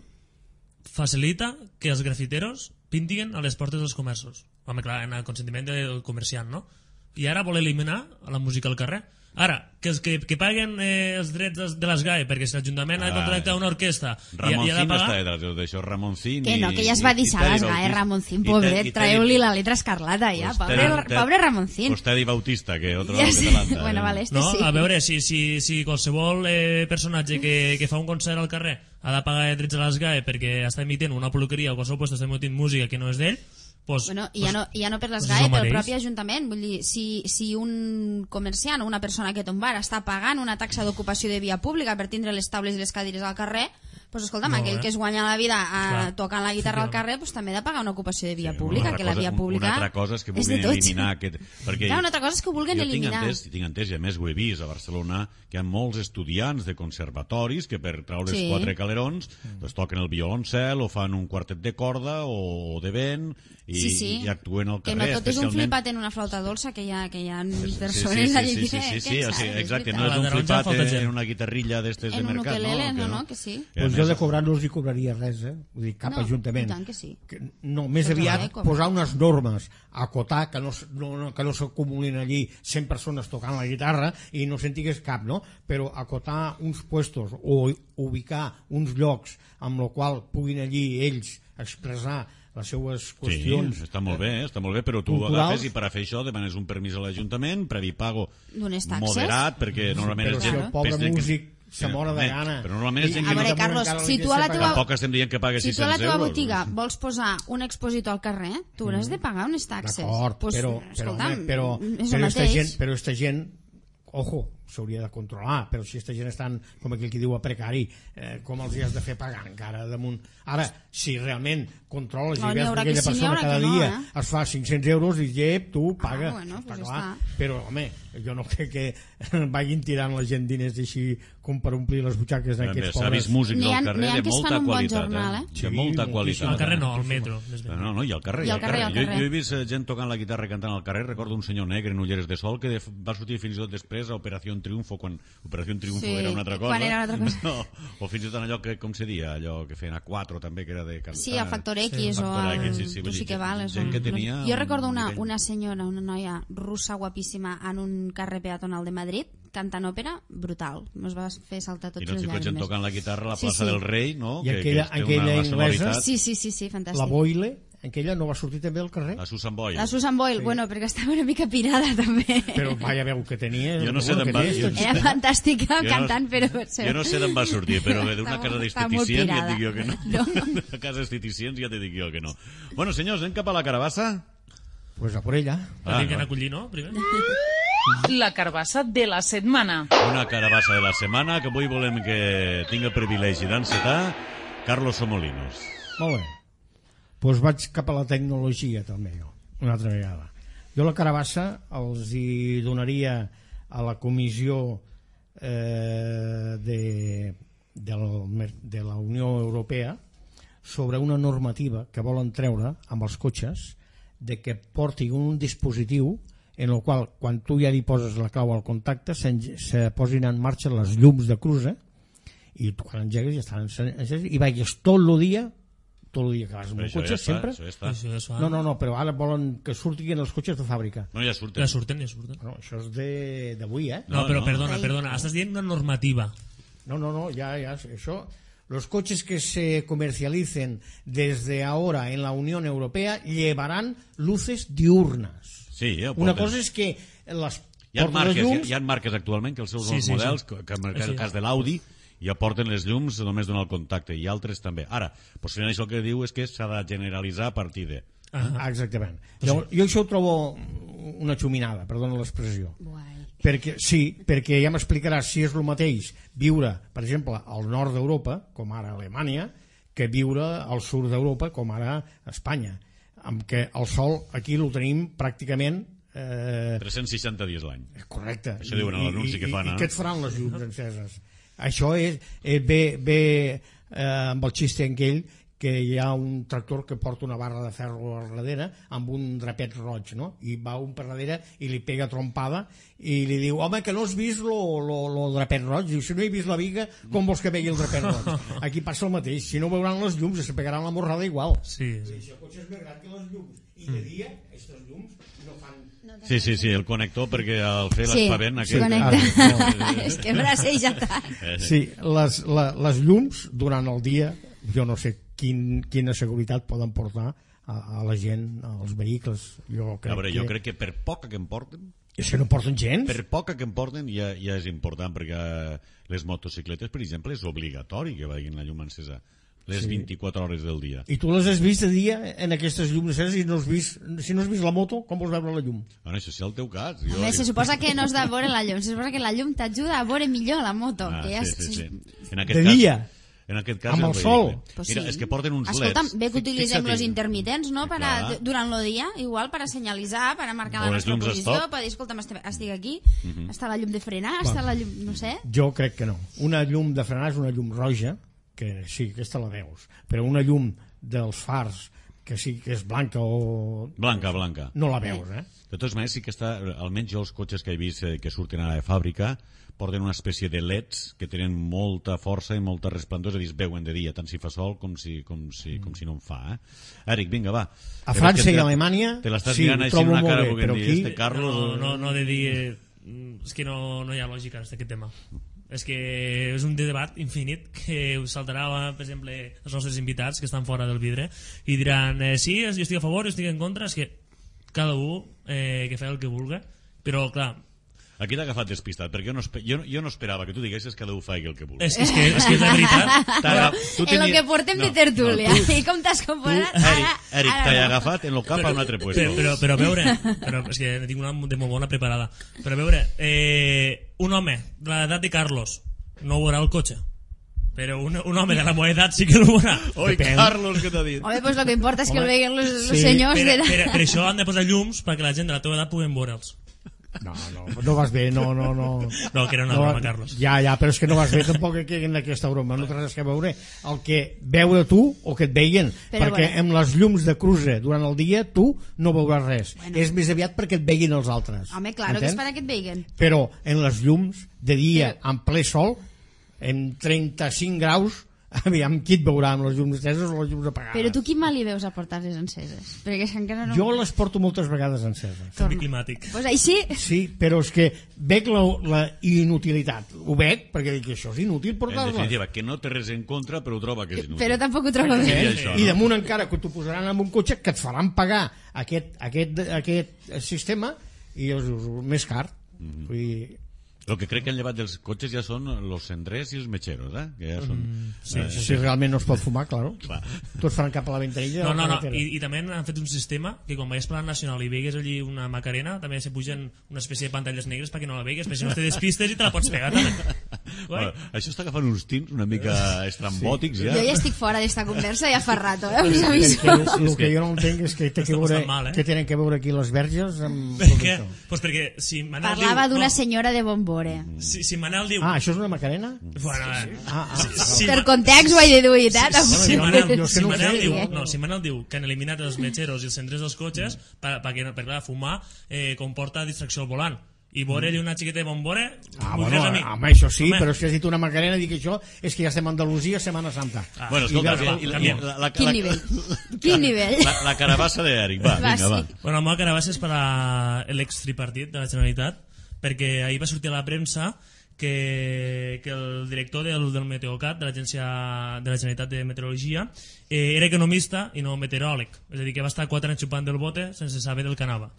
facilita que els grafiteros pintin a les portes dels comerços. Home, clar, en el consentiment del comerciant, no? I ara vol eliminar la música al carrer. Ara, que paguen els drets de les GAE, perquè si l'Ajuntament ha de contractar una orquestra i ha de Ramoncín pagar... està d'això, Ramoncín Que no, i- que ja es va i deixar Teddy les GAE, Bautista. Ramoncín, I pobret, Teddy- traeu-li la letra escarlata ja, Pues pobre Ramoncín. Pues Teddy Bautista, que otro Ja que sé. t'alanta, Bueno, vale, este No, sí. a veure, si qualsevol personatge que fa un concert al carrer ha de pagar drets a les GAE perquè està emitint una peluqueria o qualsevol lloc està emitint música que no és d'ell, pues, Bueno, i ja no per les pues GAE, és el pel mateix. propi Ajuntament. Vull dir, si un comerciant o una persona que té un bar està pagant una taxa d'ocupació de via pública per tindre les taules i les cadires al carrer, pues escolta'm, No, aquell que es guanya la vida Clar, tocant la guitarra al carrer, pues també ha de pagar una ocupació de via pública, que la via pública Una altra cosa és que és de vulguin tots. eliminar aquest... Perquè Clar, una altra cosa és que ho vulguin eliminar. Jo tinc entès, i a més ho he vist a Barcelona, que hi ha molts estudiants de conservatoris que per traure's Sí. 4 calerons pues, toquen el violoncel o fan un quartet de corda o de vent i actuen al Que carrer. no tot és un especialment- flipat en una flauta dolça, que hi ha persones sí, allí sí, que... sí, que sí, en sí, saben, exacte, és no és A la un taronja flipat falta gent. en una guitarrilla d'estes de En un mercat, ukelele, no? no, que sí. Que a Pues més- jo de cobrar no els hi cobraria res, Vull dir, cap No, ajuntament. i tant que sí. No, més Tots aviat haurà de cobrar. posar unes normes, acotar que no s'acumulin allí 100 persones tocant la guitarra i no se'n digués cap, no? Però acotar uns puestos o ubicar uns llocs amb el qual puguin allí ells expressar les seues qüestions. Sí, està molt bé, però tu culturals. agafes i per a fer això demanes un permís a l'Ajuntament, previ pago D'unes taxes. moderat, perquè normalment Però és si gent... el pobre és gent que- músic se mora de gana. Però normalment és gent A que veure, no... Carlos, si tu a la teva- Tampoc estem dient que pague Si 600 tu a la teva euros. botiga vols posar un expositor al carrer, tu hauràs de pagar unes taxes. D'acord, Pues, però, escolta'm, però és el mateix. esta gent, ojo, s'hauria de controlar, però si esta gent estan, com aquell que diu, a precari, com els hi has de fer pagar encara damunt? Ara, si realment controles No, i n'hi veus haurà que aquella que sí, n'hi persona haurà cada que no, dia es fa 500 euros i llep, tu paga. bueno, pues està ja clar. està. Però, home, jo no crec que vagin tirant la gent diners així com per omplir les butxaques d'aquests S'ha pobres. vist músics N'hi ha- al carrer n'hi ha de que es molta fan un bon qualitat. jornal, De Sí, molta moltíssim. qualitat. Al carrer no, al metro. més bé. No, i al carrer. I al carrer, al carrer. Jo he vist gent tocant la guitarra i cantant al carrer. Recordo un senyor negre en ulleres de sol que va sortir fins i tot després a Operació Triunfo, quan Operació Triunfo Sí, era una altra cosa. quan era una altra cosa. No, o fins i tot en allò que, com se dia, allò que feien a 4 també, que era de cantar. Sí, a Factor X o Factor a... X, sí, tu vull sí dir, que vales. gent que tenia Jo recordo un una nivell. senyora, una noia russa guapíssima en un carrer peatonal de Madrid, cantant òpera, brutal. Nos va fer saltar tots I no els si pot gent llàgrimes. tocant la guitarra a la Sí, plaça sí. del Rei, no? I aquella té inglesa, una sonoritat. Sí, fantàstic. La Boile, aquella no va sortir també al carrer? La Susan Boyle. La Susan Boyle, bueno, perquè estava una mica pirada també. Però vaya veu que tenia. Jo no sé bueno, d'on que va- té, jo- esta Era fantàstica Jo cantant, però... Jo no sé d'on va sortir, però d'una casa Està molt d'esteticient ja et pirada. dic jo que no. No. D'una casa d'esteticient ja te dic jo que no. Bueno, senyors, anem cap a la carabassa? Pues a por ella. Tenim que anar a collir, no? Primer. La carbassa de la setmana. Una carabassa de la setmana que avui volem que tingui el privilegi d'encetar Carlos Somolinos. Molt bé. Doncs vaig cap a la tecnologia també jo, una altra vegada. Jo la carabassa els hi donaria a la comissió de la Unió Europea sobre una normativa que volen treure amb els cotxes de que porti un dispositiu en el qual quan tu ja li poses la clau al contacte se posin en marxa les llums de cruza i tu quan engegues ja estan engegues i vagis tot el dia que vas amb Però un això cotxe ja està, sempre. això ja està. Això ja es fa. No, però ara volen que surtin els cotxes de fàbrica. No, ja surten. Ja surten. Bueno, això és d'avui, eh? No, però no. perdona. Estàs dient una normativa. No, ya, eso. Los coches que se comercialicen desde ahora en la Unión Europea llevarán luces diurnas. Sí, ja ho Una porten. cosa és que les Hi ha portes de llums... marques actualment que els seus Sí, models, sí. que en el cas de l'Audi, ja porten les llums només donar el contacte, i altres també. Ara, possiblement això el que diu és que s'ha de generalitzar a partir de... Exactament. Jo això ho trobo una xuminada, perdona l'expressió. Perquè ja m'explicaràs si és el mateix viure, per exemple, al nord d'Europa, com ara Alemanya, que viure al sud d'Europa, com ara Espanya, amb què el sol aquí el tenim pràcticament 360 dies l'any. Correcte. Això diuen a l'anunci que fan. I què et faran les llums enceses? Això ve amb el xiste aquell que hi ha un tractor que porta una barra de ferro al darrere amb un drapet roig, no? I va un per darrere i li pega trompada i li diu, home, que no has vist lo drapet roig? Diu, si no he vist la viga, com vols que vegi el drapet roig? Aquí passa el mateix, si no veuran les llums se pegaran la morrada igual. Sí. Si el cotxe és més gran que les llums i de dia, aquestes llums no fan... Sí, el connector, perquè al fer l'espavent... Sí, connecta. És que braceja tant. Sí, les llums durant el dia, jo no sé quina seguretat poden portar a la gent, als vehicles. Jo crec que per poca que em porten... És que no porten gens? Per poca que em porten ja és important, perquè les motocicletes, per exemple, és obligatori que vagin la llum encesa les 24 hores del dia. I tu les has vist de dia en aquestes llums enceses i si no has vist la moto, com vols veure la llum? Bueno, això sí el teu cas. Se suposa que no has de veure la llum, se suposa que la llum t'ajuda a veure millor la moto. Sí. De dia? En aquest cas, amb el sol. Mira, és que porten uns Escolta, leds. bé que utilitzem els intermitents, no? Durant el dia, igual, per a senyalitzar, per a marcar la nostra posició, per dir, escolta'm, estic aquí, està la llum de frenar, està la llum... no sé. Jo crec que no. Una llum de frenar és una llum roja, que sí, aquesta la veus, però una llum dels fars, que sí que és blanca o... Blanca. No la veus, De totes maneres, sí que està, almenys jo els cotxes que he vist que surten ara de fàbrica, porten una espècie de leds que tenen molta força i molta resplendor, és a dir, es veuen de dia, tant si fa sol com si no en fa. Eric, vinga, va. A França i a Alemanya te l'estàs mirant així amb una cara però aquí... Carlos... No he de dir... És que no hi ha lògica en aquest tema. És que és un debat infinit que us saltarà, per exemple, els nostres invitats que estan fora del vidre i diran, sí, jo estic a favor, jo estic en contra. És que cada un que fa el que vulgui, però clar, aquí t'ha agafat despistat, perquè jo no esperava que tu diguessis que cada un faci el que vulgui. És que és la veritat. En lo que portem de tertúlia. I com t'has comportat? Eric, t'ha agafat en lo cap a un altre puesto. Però a veure, és que tinc una de molt bona preparada. Però a veure, un home de l'edat de Carlos no veurà el cotxe, però un home de la meva edat sí que el veurà. Oi, Carlos, què t'ha dit? Home, doncs el que importa és que el veguen els senyors de la... Per això han de posar llums perquè la gent de la teva edat puguen veure'ls. No vas bé, no. No, que era una broma, Carlos. Ja, però és que no vas bé tampoc que en aquesta broma, no tens res que veure el que veure tu o que et veien, perquè amb les llums de cruce durant el dia tu no veuràs res, és més aviat perquè et veien els altres. Home, claro que és per a que et veien. Però en les llums de dia, en ple sol, en 35 graus, aviam, qui et veurà amb les llums enceses o les llums apagades? Però tu quin mal li veus a portar-les enceses? Perquè encara no... Jo les porto moltes vegades enceses. Canvi climàtic. Pues així... Sí, però és que veig la inutilitat. Ho veig perquè dic que això és inútil portar-les. En definitiva, que no té res en contra, però ho troba que és inútil. Però tampoc ho troba bé. I damunt encara que t'ho posaran en un cotxe que et faran pagar aquest sistema i és més car. Vull dir... El que crec que han llevat dels cotxes ja són els cendrers i els metxeros, que ja són... Si realment no es pot fumar, claro. Tots faran cap a la ventanilla. No. I també han fet un sistema que quan veies per la Nacional i veigues allí una Macarena, també se pugen una espècie de pantalles negres perquè no la veigues, perquè si no te despistes i te la pots pegar també. Bueno, això està agafant uns tints una mica estrambòtics ja. Jo ja estic fora d'esta conversa ja fa rato, us aviso. El que jo no entenc és que que tenen que veure aquí les verges amb... Per què? Pues perquè si Manel diu... Parlava d'una senyora de Bombore. Si Manel diu... Ah, això és una Macarena? Bueno, per context ho he deduït, Si Manel diu que han eliminat els metxeros i els cendrers dels cotxes perquè fumar comporta distracció al volant i veure-li una xiqueta de Bombore home, això sí, però si has dit una Macarena dic això és que ja estem a Andalusia Setmana Santa. Bueno, escolta, quin nivell? La carabassa d'Eric, vinga, va. Bueno, la meva carabassa és per a l'extripartit de la Generalitat, perquè ahir va sortir a la premsa que el director del Meteocat, de l'Agència de la Generalitat de Meteorologia, era economista i no meteoròleg, és a dir, que va estar 4 anys xupant del bote sense saber del que anava.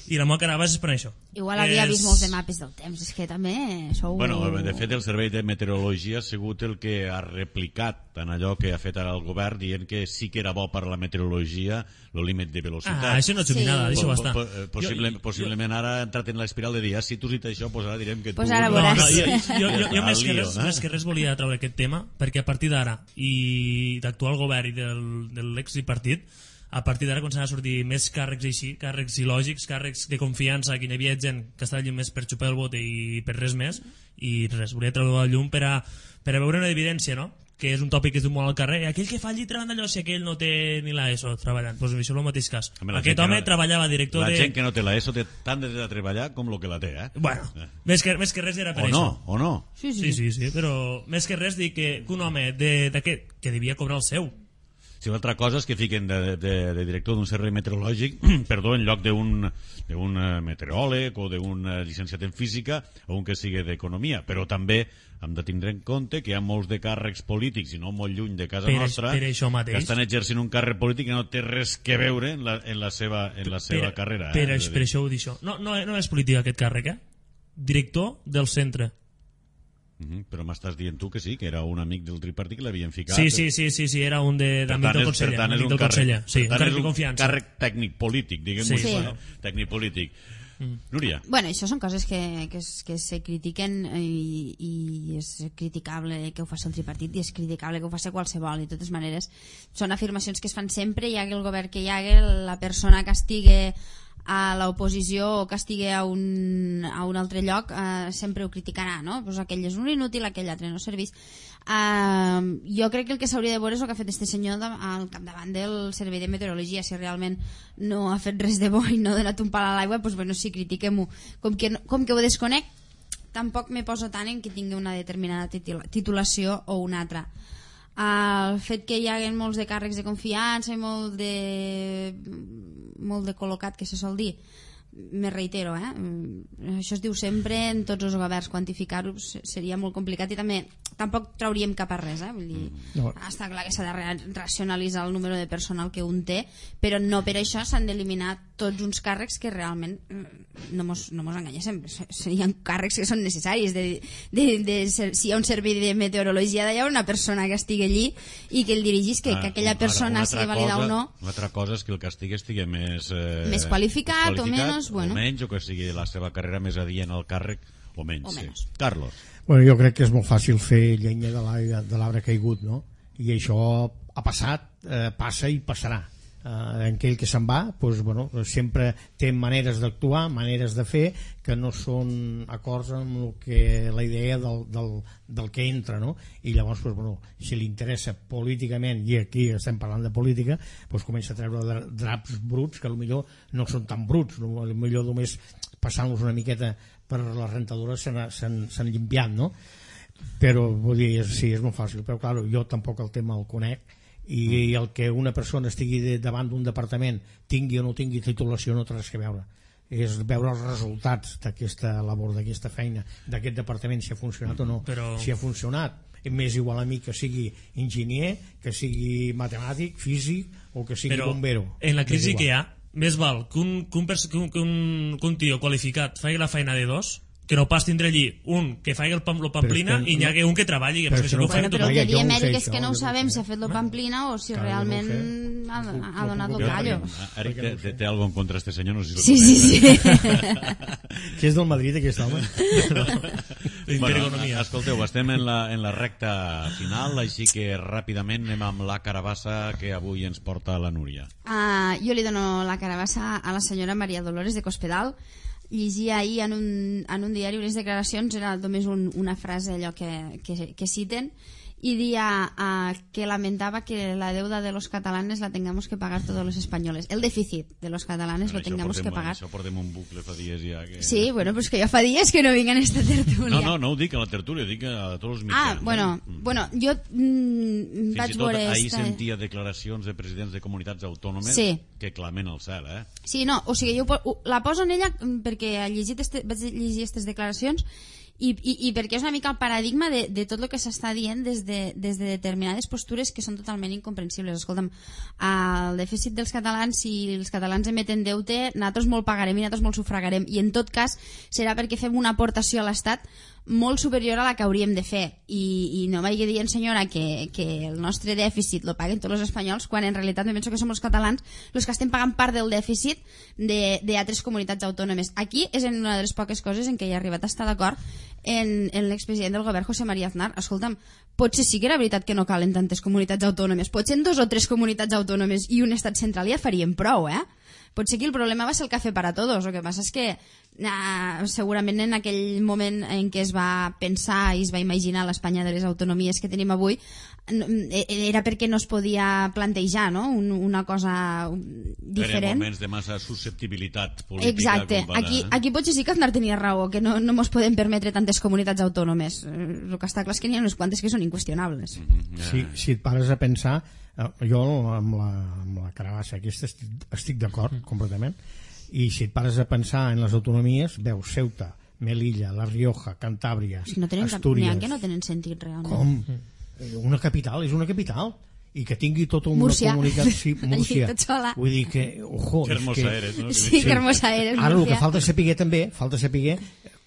I la meva cara baixa és per això. Igual havia vist molts de mapes del temps, és que també sou... Bueno, de fet, el Servei de Meteorologia ha sigut el que ha replicat en allò que ha fet ara el govern, dient que sí que era bo per a la meteorologia el límit de velocitat. Això no he nada, deixa-ho estar. Possiblement ara ha entrat en l'espiral de dir, si tu has dit això, pues ara direm que tu... Pues ara veuràs. Jo més que res volia treure aquest tema, perquè a partir d'ara, i d'actual govern i de l'extripartit, a partir d'ara començaran a sortir més càrrecs així, càrrecs il·lògics, càrrecs de confiança, que hi havia gent que estava allí més per xupar el vot i per res més, i res, volia treure a la llum per a veure una evidència, no? Que és un tòpic que es diu molt al carrer, aquell que fa allí treballant allò, si aquell no té ni l'ESO treballant, doncs això és el mateix cas. Aquest home treballava director de... La gent que no té l'ESO té tant de treballar com el que la té, eh? Bueno, més que res era per això. O no? Sí, però més que res dic que un home d'aquest, que devia cobrar el seu. Si l'altra cosa és que fiquen de director d'un servei meteorològic, perdó, en lloc d'un meteoròleg o d'un llicenciat en física o un que sigui d'economia, però també hem de tindre en compte que hi ha molts de càrrecs polítics i no molt lluny de casa nostra que estan exercint un càrrec polític que no té res que veure en la seva carrera. Per això ho dic això. No és política aquest càrrec, director del centre. Però m'estàs dient tu que sí, que era un amic del tripartit que l'havien ficat. Sí, era un d'amic del conseller. Per tant, és un càrrec tècnic polític, diguem-ho així. Tècnic polític. Núria. Bueno, això són coses que se critiquen i és criticable que ho faci el tripartit i és criticable que ho faci qualsevol, i de totes maneres són afirmacions que es fan sempre, hi hagi el govern que hi hagi, la persona que estigui a l'oposició o que estigui a un altre lloc sempre ho criticarà, no? Pues aquell és un inútil, aquell altre no serveix. Jo crec que el que s'hauria de veure és el que ha fet este senyor al capdavant del Servei de Meteorologia. Si realment no ha fet res de bo i no ha donat un pal a l'aigua, pues bueno, sí, critiquem-ho. Com que ho desconec, tampoc me poso tant en que tingui una determinada titulació o una altra. El fet que hi hagi molts de càrrecs de confiança i molt de col·locat, que se sol dir, me reitero, això es diu sempre en tots els governs, quantificar-ho seria molt complicat i tampoc trauríem cap a res, vull dir, està clar que s'ha de racionalitzar el número de personal que un té, però no per això s'han d'eliminar tots uns càrrecs que realment no mos enganyéssim, hi ha càrrecs que són necessaris si hi ha un servei de meteorologia d'allà, una persona que estigui allí i que el dirigís, que aquella persona sigui valida o no. Una altra cosa és que el castig estigui més qualificat o menys, o menys, o que sigui la seva carrera més adient al càrrec o menys. Sí. Carlos. Bueno, jo crec que és molt fàcil fer llenya de l'arbre caigut, no? I això ha passat, passa i passarà. Aquell que se'n va, doncs, bueno, sempre té maneres d'actuar, maneres de fer que no són acords amb la idea del que entra, no? I llavors, doncs, bueno, si li interessa políticament, i aquí estem parlant de política, doncs comença a treure draps bruts que potser no són tan bruts, potser només passant-los una miqueta per les rentadores s'han llimpiat, no? Però vull dir, sí, és molt fàcil, però clar, jo tampoc el tema el conec, i el que una persona estigui davant d'un departament tingui o no tingui titulació no té res que veure, és veure els resultats d'aquesta labor, d'aquesta feina d'aquest departament, si ha funcionat o no. Si ha funcionat, m'és igual a mi que sigui enginyer, que sigui matemàtic, físic o que sigui bombero. En la crisi que hi ha, més val que un tio qualificat faci la feina de dos, que no pas tindre allí un que faci el pamplina i n'hi hagi un que treballi. Però el que diem, Eric, és que no ho sabem si ha fet el pamplina o si realment ha donat el callo. Eric, té alguna cosa en contra este senyor? Sí. Que és del Madrid, aquest home. Escolteu, estem en la recta final, així que ràpidament anem amb la carabassa que avui ens porta la Núria. Jo li dono la carabassa a la senyora Maria Dolores de Cospedal. Llegia ahir en un diari unes declaracions, era només una frase allò que citen, y día que lamentaba que la deuda de los catalanes la tengamos que pagar todos los españoles. El déficit de los catalanes lo tengamos que pagar. Això portem un bucle fa dies ja. Que... Sí, bueno, pues que jo fa dies que no vinc en esta tertúlia. No ho dic a la tertúlia, dic a tots els mitjans. Bueno, jo vaig veure... Ahir sentia declaracions de presidents de comunitats autònomes que clamen al cel, Sí, no, o sigui, jo la poso en ella perquè vaig llegir aquestes declaracions I perquè és una mica el paradigma de tot el que s'està dient des de determinades postures que són totalment incomprensibles. Escolta'm, el dèficit dels catalans, si els catalans emeten deute, nosaltres molt pagarem i nosaltres molt sufragarem, i en tot cas serà perquè fem una aportació a l'Estat molt superior a la que hauríem de fer, i no vagi dient, senyora, que el nostre dèficit lo paguen tots els espanyols, quan en realitat me penso que som els catalans els que estem pagant part del dèficit d'altres comunitats autònomes. Aquí és una de les poques coses en què he arribat a estar d'acord en l'expresident del govern, José María Aznar. Escolta'm, potser sí que era veritat que no calen tantes comunitats autònomes, potser en 2 o 3 comunitats autònomes i un estat central ja farien prou, Potser que el problema va ser el café para todos. El que passa és que segurament en aquell moment en què es va pensar i es va imaginar l'Espanya de les autonomies que tenim avui era perquè no es podia plantejar, no? Una cosa diferent. Eren moments de massa susceptibilitat política. Exacte. Aquí potser sí que Aznar tenia raó, que no mos podem permetre tantes comunitats autònomes. El que està clar és que n'hi ha unes quantes que són inqüestionables. Si et pares a pensar, jo amb la carabassa aquesta estic d'acord completament, i si et pares a pensar en les autonomies, veus Ceuta, Melilla, La Rioja, Cantàbria, Astúries... N'hi ha que no tenen sentit realment. Com? Una capital és una capital, i que tingui tota una comunitat... Sí, Múrcia. Vull dir que... Ojo, que hermosa eres, no? Sí, que hermosa eres, Múrcia. Ara el que falta saber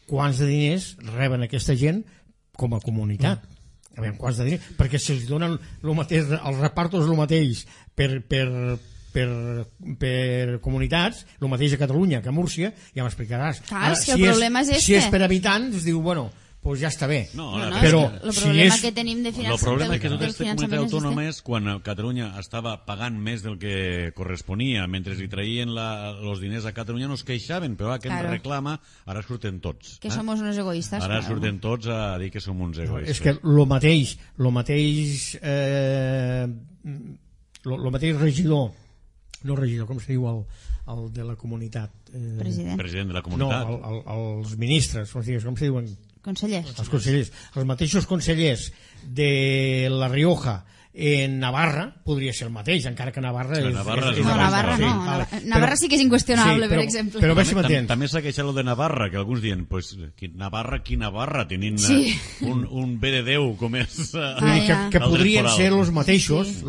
quants de diners reben aquesta gent com a comunitat. A veure, quants de diners, perquè si els donen el mateix, els repartos el mateix per comunitats, el mateix a Catalunya que a Múrcia, ja m'explicaràs. Clar, és que el problema és este. Si és per habitants, es diu, bueno, pues ja està bé. No, però el problema que tenim de finançament... El problema és que totes les comunitats autònomes, quan Catalunya estava pagant més del que corresponia, mentre li traïen els diners a Catalunya, no es queixaven, però aquest reclama, ara surten tots. Que som uns egoistes. Ara surten tots a dir que som uns egoistes. És que el mateix regidor, no regidor, com se diu el de la comunitat? President de la comunitat. No, els ministres, com se diuen? Consellers. Els consellers. Els mateixos consellers de La Rioja en Navarra podria ser el mateix, encara que Navarra és... Navarra sí que és inqüestionable, per exemple. Però a veure si m'entens. També s'ha queixat lo de Navarra, que alguns diuen, pues, Navarra, tenint un bé de Déu com és... Que podrien ser els mateixos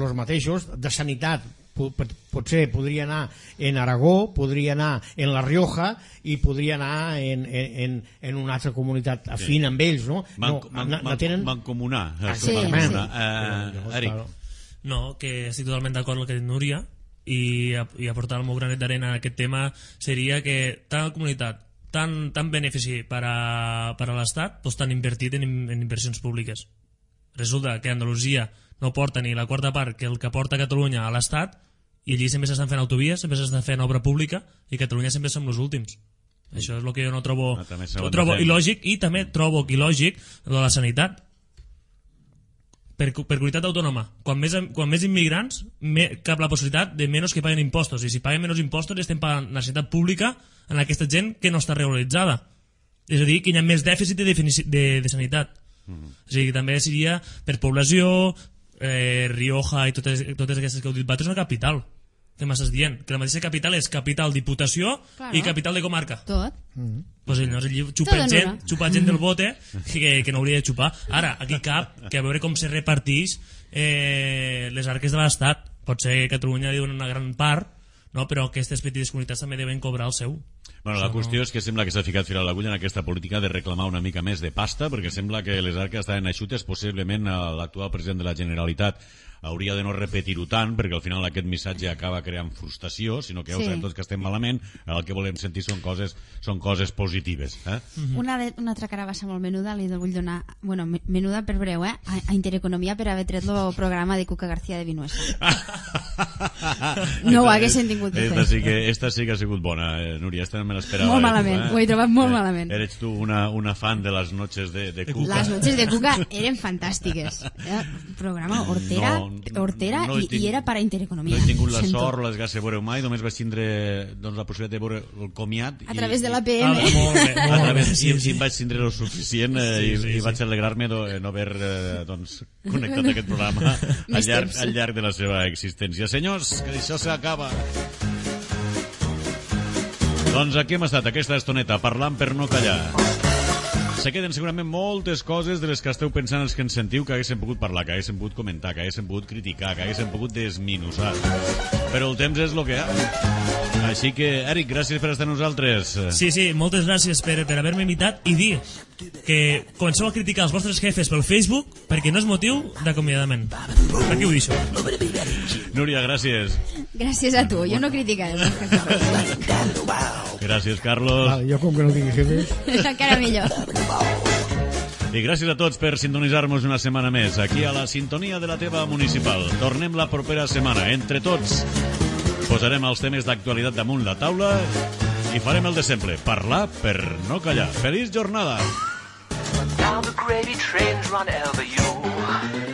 de sanitat. Potser podria anar en Aragó, podria anar en La Rioja i podria anar en una altra comunitat afín amb ells, no? Mancomunar. Eric. No, que estic totalment d'acord amb el que ha dit Núria, i aportar el meu granet d'arena en aquest tema seria que tant la comunitat, tant benefici per a l'Estat, doncs tan invertit en inversions públiques. Resulta que Andalusia no porta ni la quarta part que el que porta Catalunya a l'Estat, i allí sempre s'estan fent autovies, sempre s'estan fent obra pública, i Catalunya sempre som els últims. Això és el que jo no trobo il·lògic, i també trobo il·lògic de la sanitat. Per comunitat autònoma, quan més immigrants, cap la possibilitat de menys que paguen impostos, i si paguen menys impostos estem pagant la sanitat pública en aquesta gent que no està regularitzada. És a dir, que hi ha més dèficit de sanitat. O sigui, també seria per població, Rioja i totes aquestes que heu dit, és una capital. Què m'estàs dient? Que la mateixa capital és capital diputació i capital de comarca. Tot. Pues allí xupa gent del bote que no hauria de xupar. Ara, aquí cap que a veure com se repartix les arques de l'Estat. Potser Catalunya diuen una gran part, no? Però aquestes petites comunitats també deuen cobrar el seu. Bueno, la qüestió és que sembla que s'ha ficat fil a l'agulla en aquesta política de reclamar una mica més de pasta, perquè sembla que les arques estaven eixutes. Possiblement l'actual president de la Generalitat hauria de no repetir-ho tant, perquè al final aquest missatge acaba creant frustració, sinó que ja ho sabem tots que estem malament, el que volem sentir són coses positives. Una altra carabassa molt menuda li vull donar, bueno, menuda per breu, a Intereconomia per haver tret el programa de Cuca García de Vinuesa. No ho haguessin tingut de fer. Esta sí que ha sigut bona, Núria, esta no me l'esperava. Molt malament, ho he trobat molt malament. Eres tu una fan de les noches de Cuca. Les noches de Cuca eren fantàstiques. Programa hortera i era per a Intereconomia. No he tingut la sort, les ganes de veure mai, només vaig tindre la possibilitat de veure el comiat. A través de l'APM. I em vaig tindre el suficient i vaig alegrar-me de no haver connectat aquest programa al llarg de la seva existència. Senyors, que això s'acaba. Doncs aquí hem estat aquesta estoneta parlant per no callar. se queden segurament moltes coses de les que esteu pensant els que ens sentiu que haguéssim pogut parlar, que haguéssim pogut comentar, que haguéssim pogut criticar, que haguéssim pogut desminusar. Però el temps és el que hi ha. Així que, Eric, gràcies per estar amb nosaltres. Sí, moltes gràcies per haver-me invitat i dir que comenceu a criticar els vostres jefes pel Facebook perquè no és motiu d'acomiadament. Per què ho deixo? Núria, gràcies. Gràcies a tu, jo no criticaré. Gràcies, Carlos. Vale, jo com que no tinc jefes... Encara millor. I gràcies a tots per sintonitzar-nos una setmana més aquí a la sintonia de la teva municipal. Tornem la propera setmana. Entre tots posarem els temes d'actualitat damunt la taula i farem el de sempre, parlar per no callar. Feliç jornada! Now the gravy trains run over you.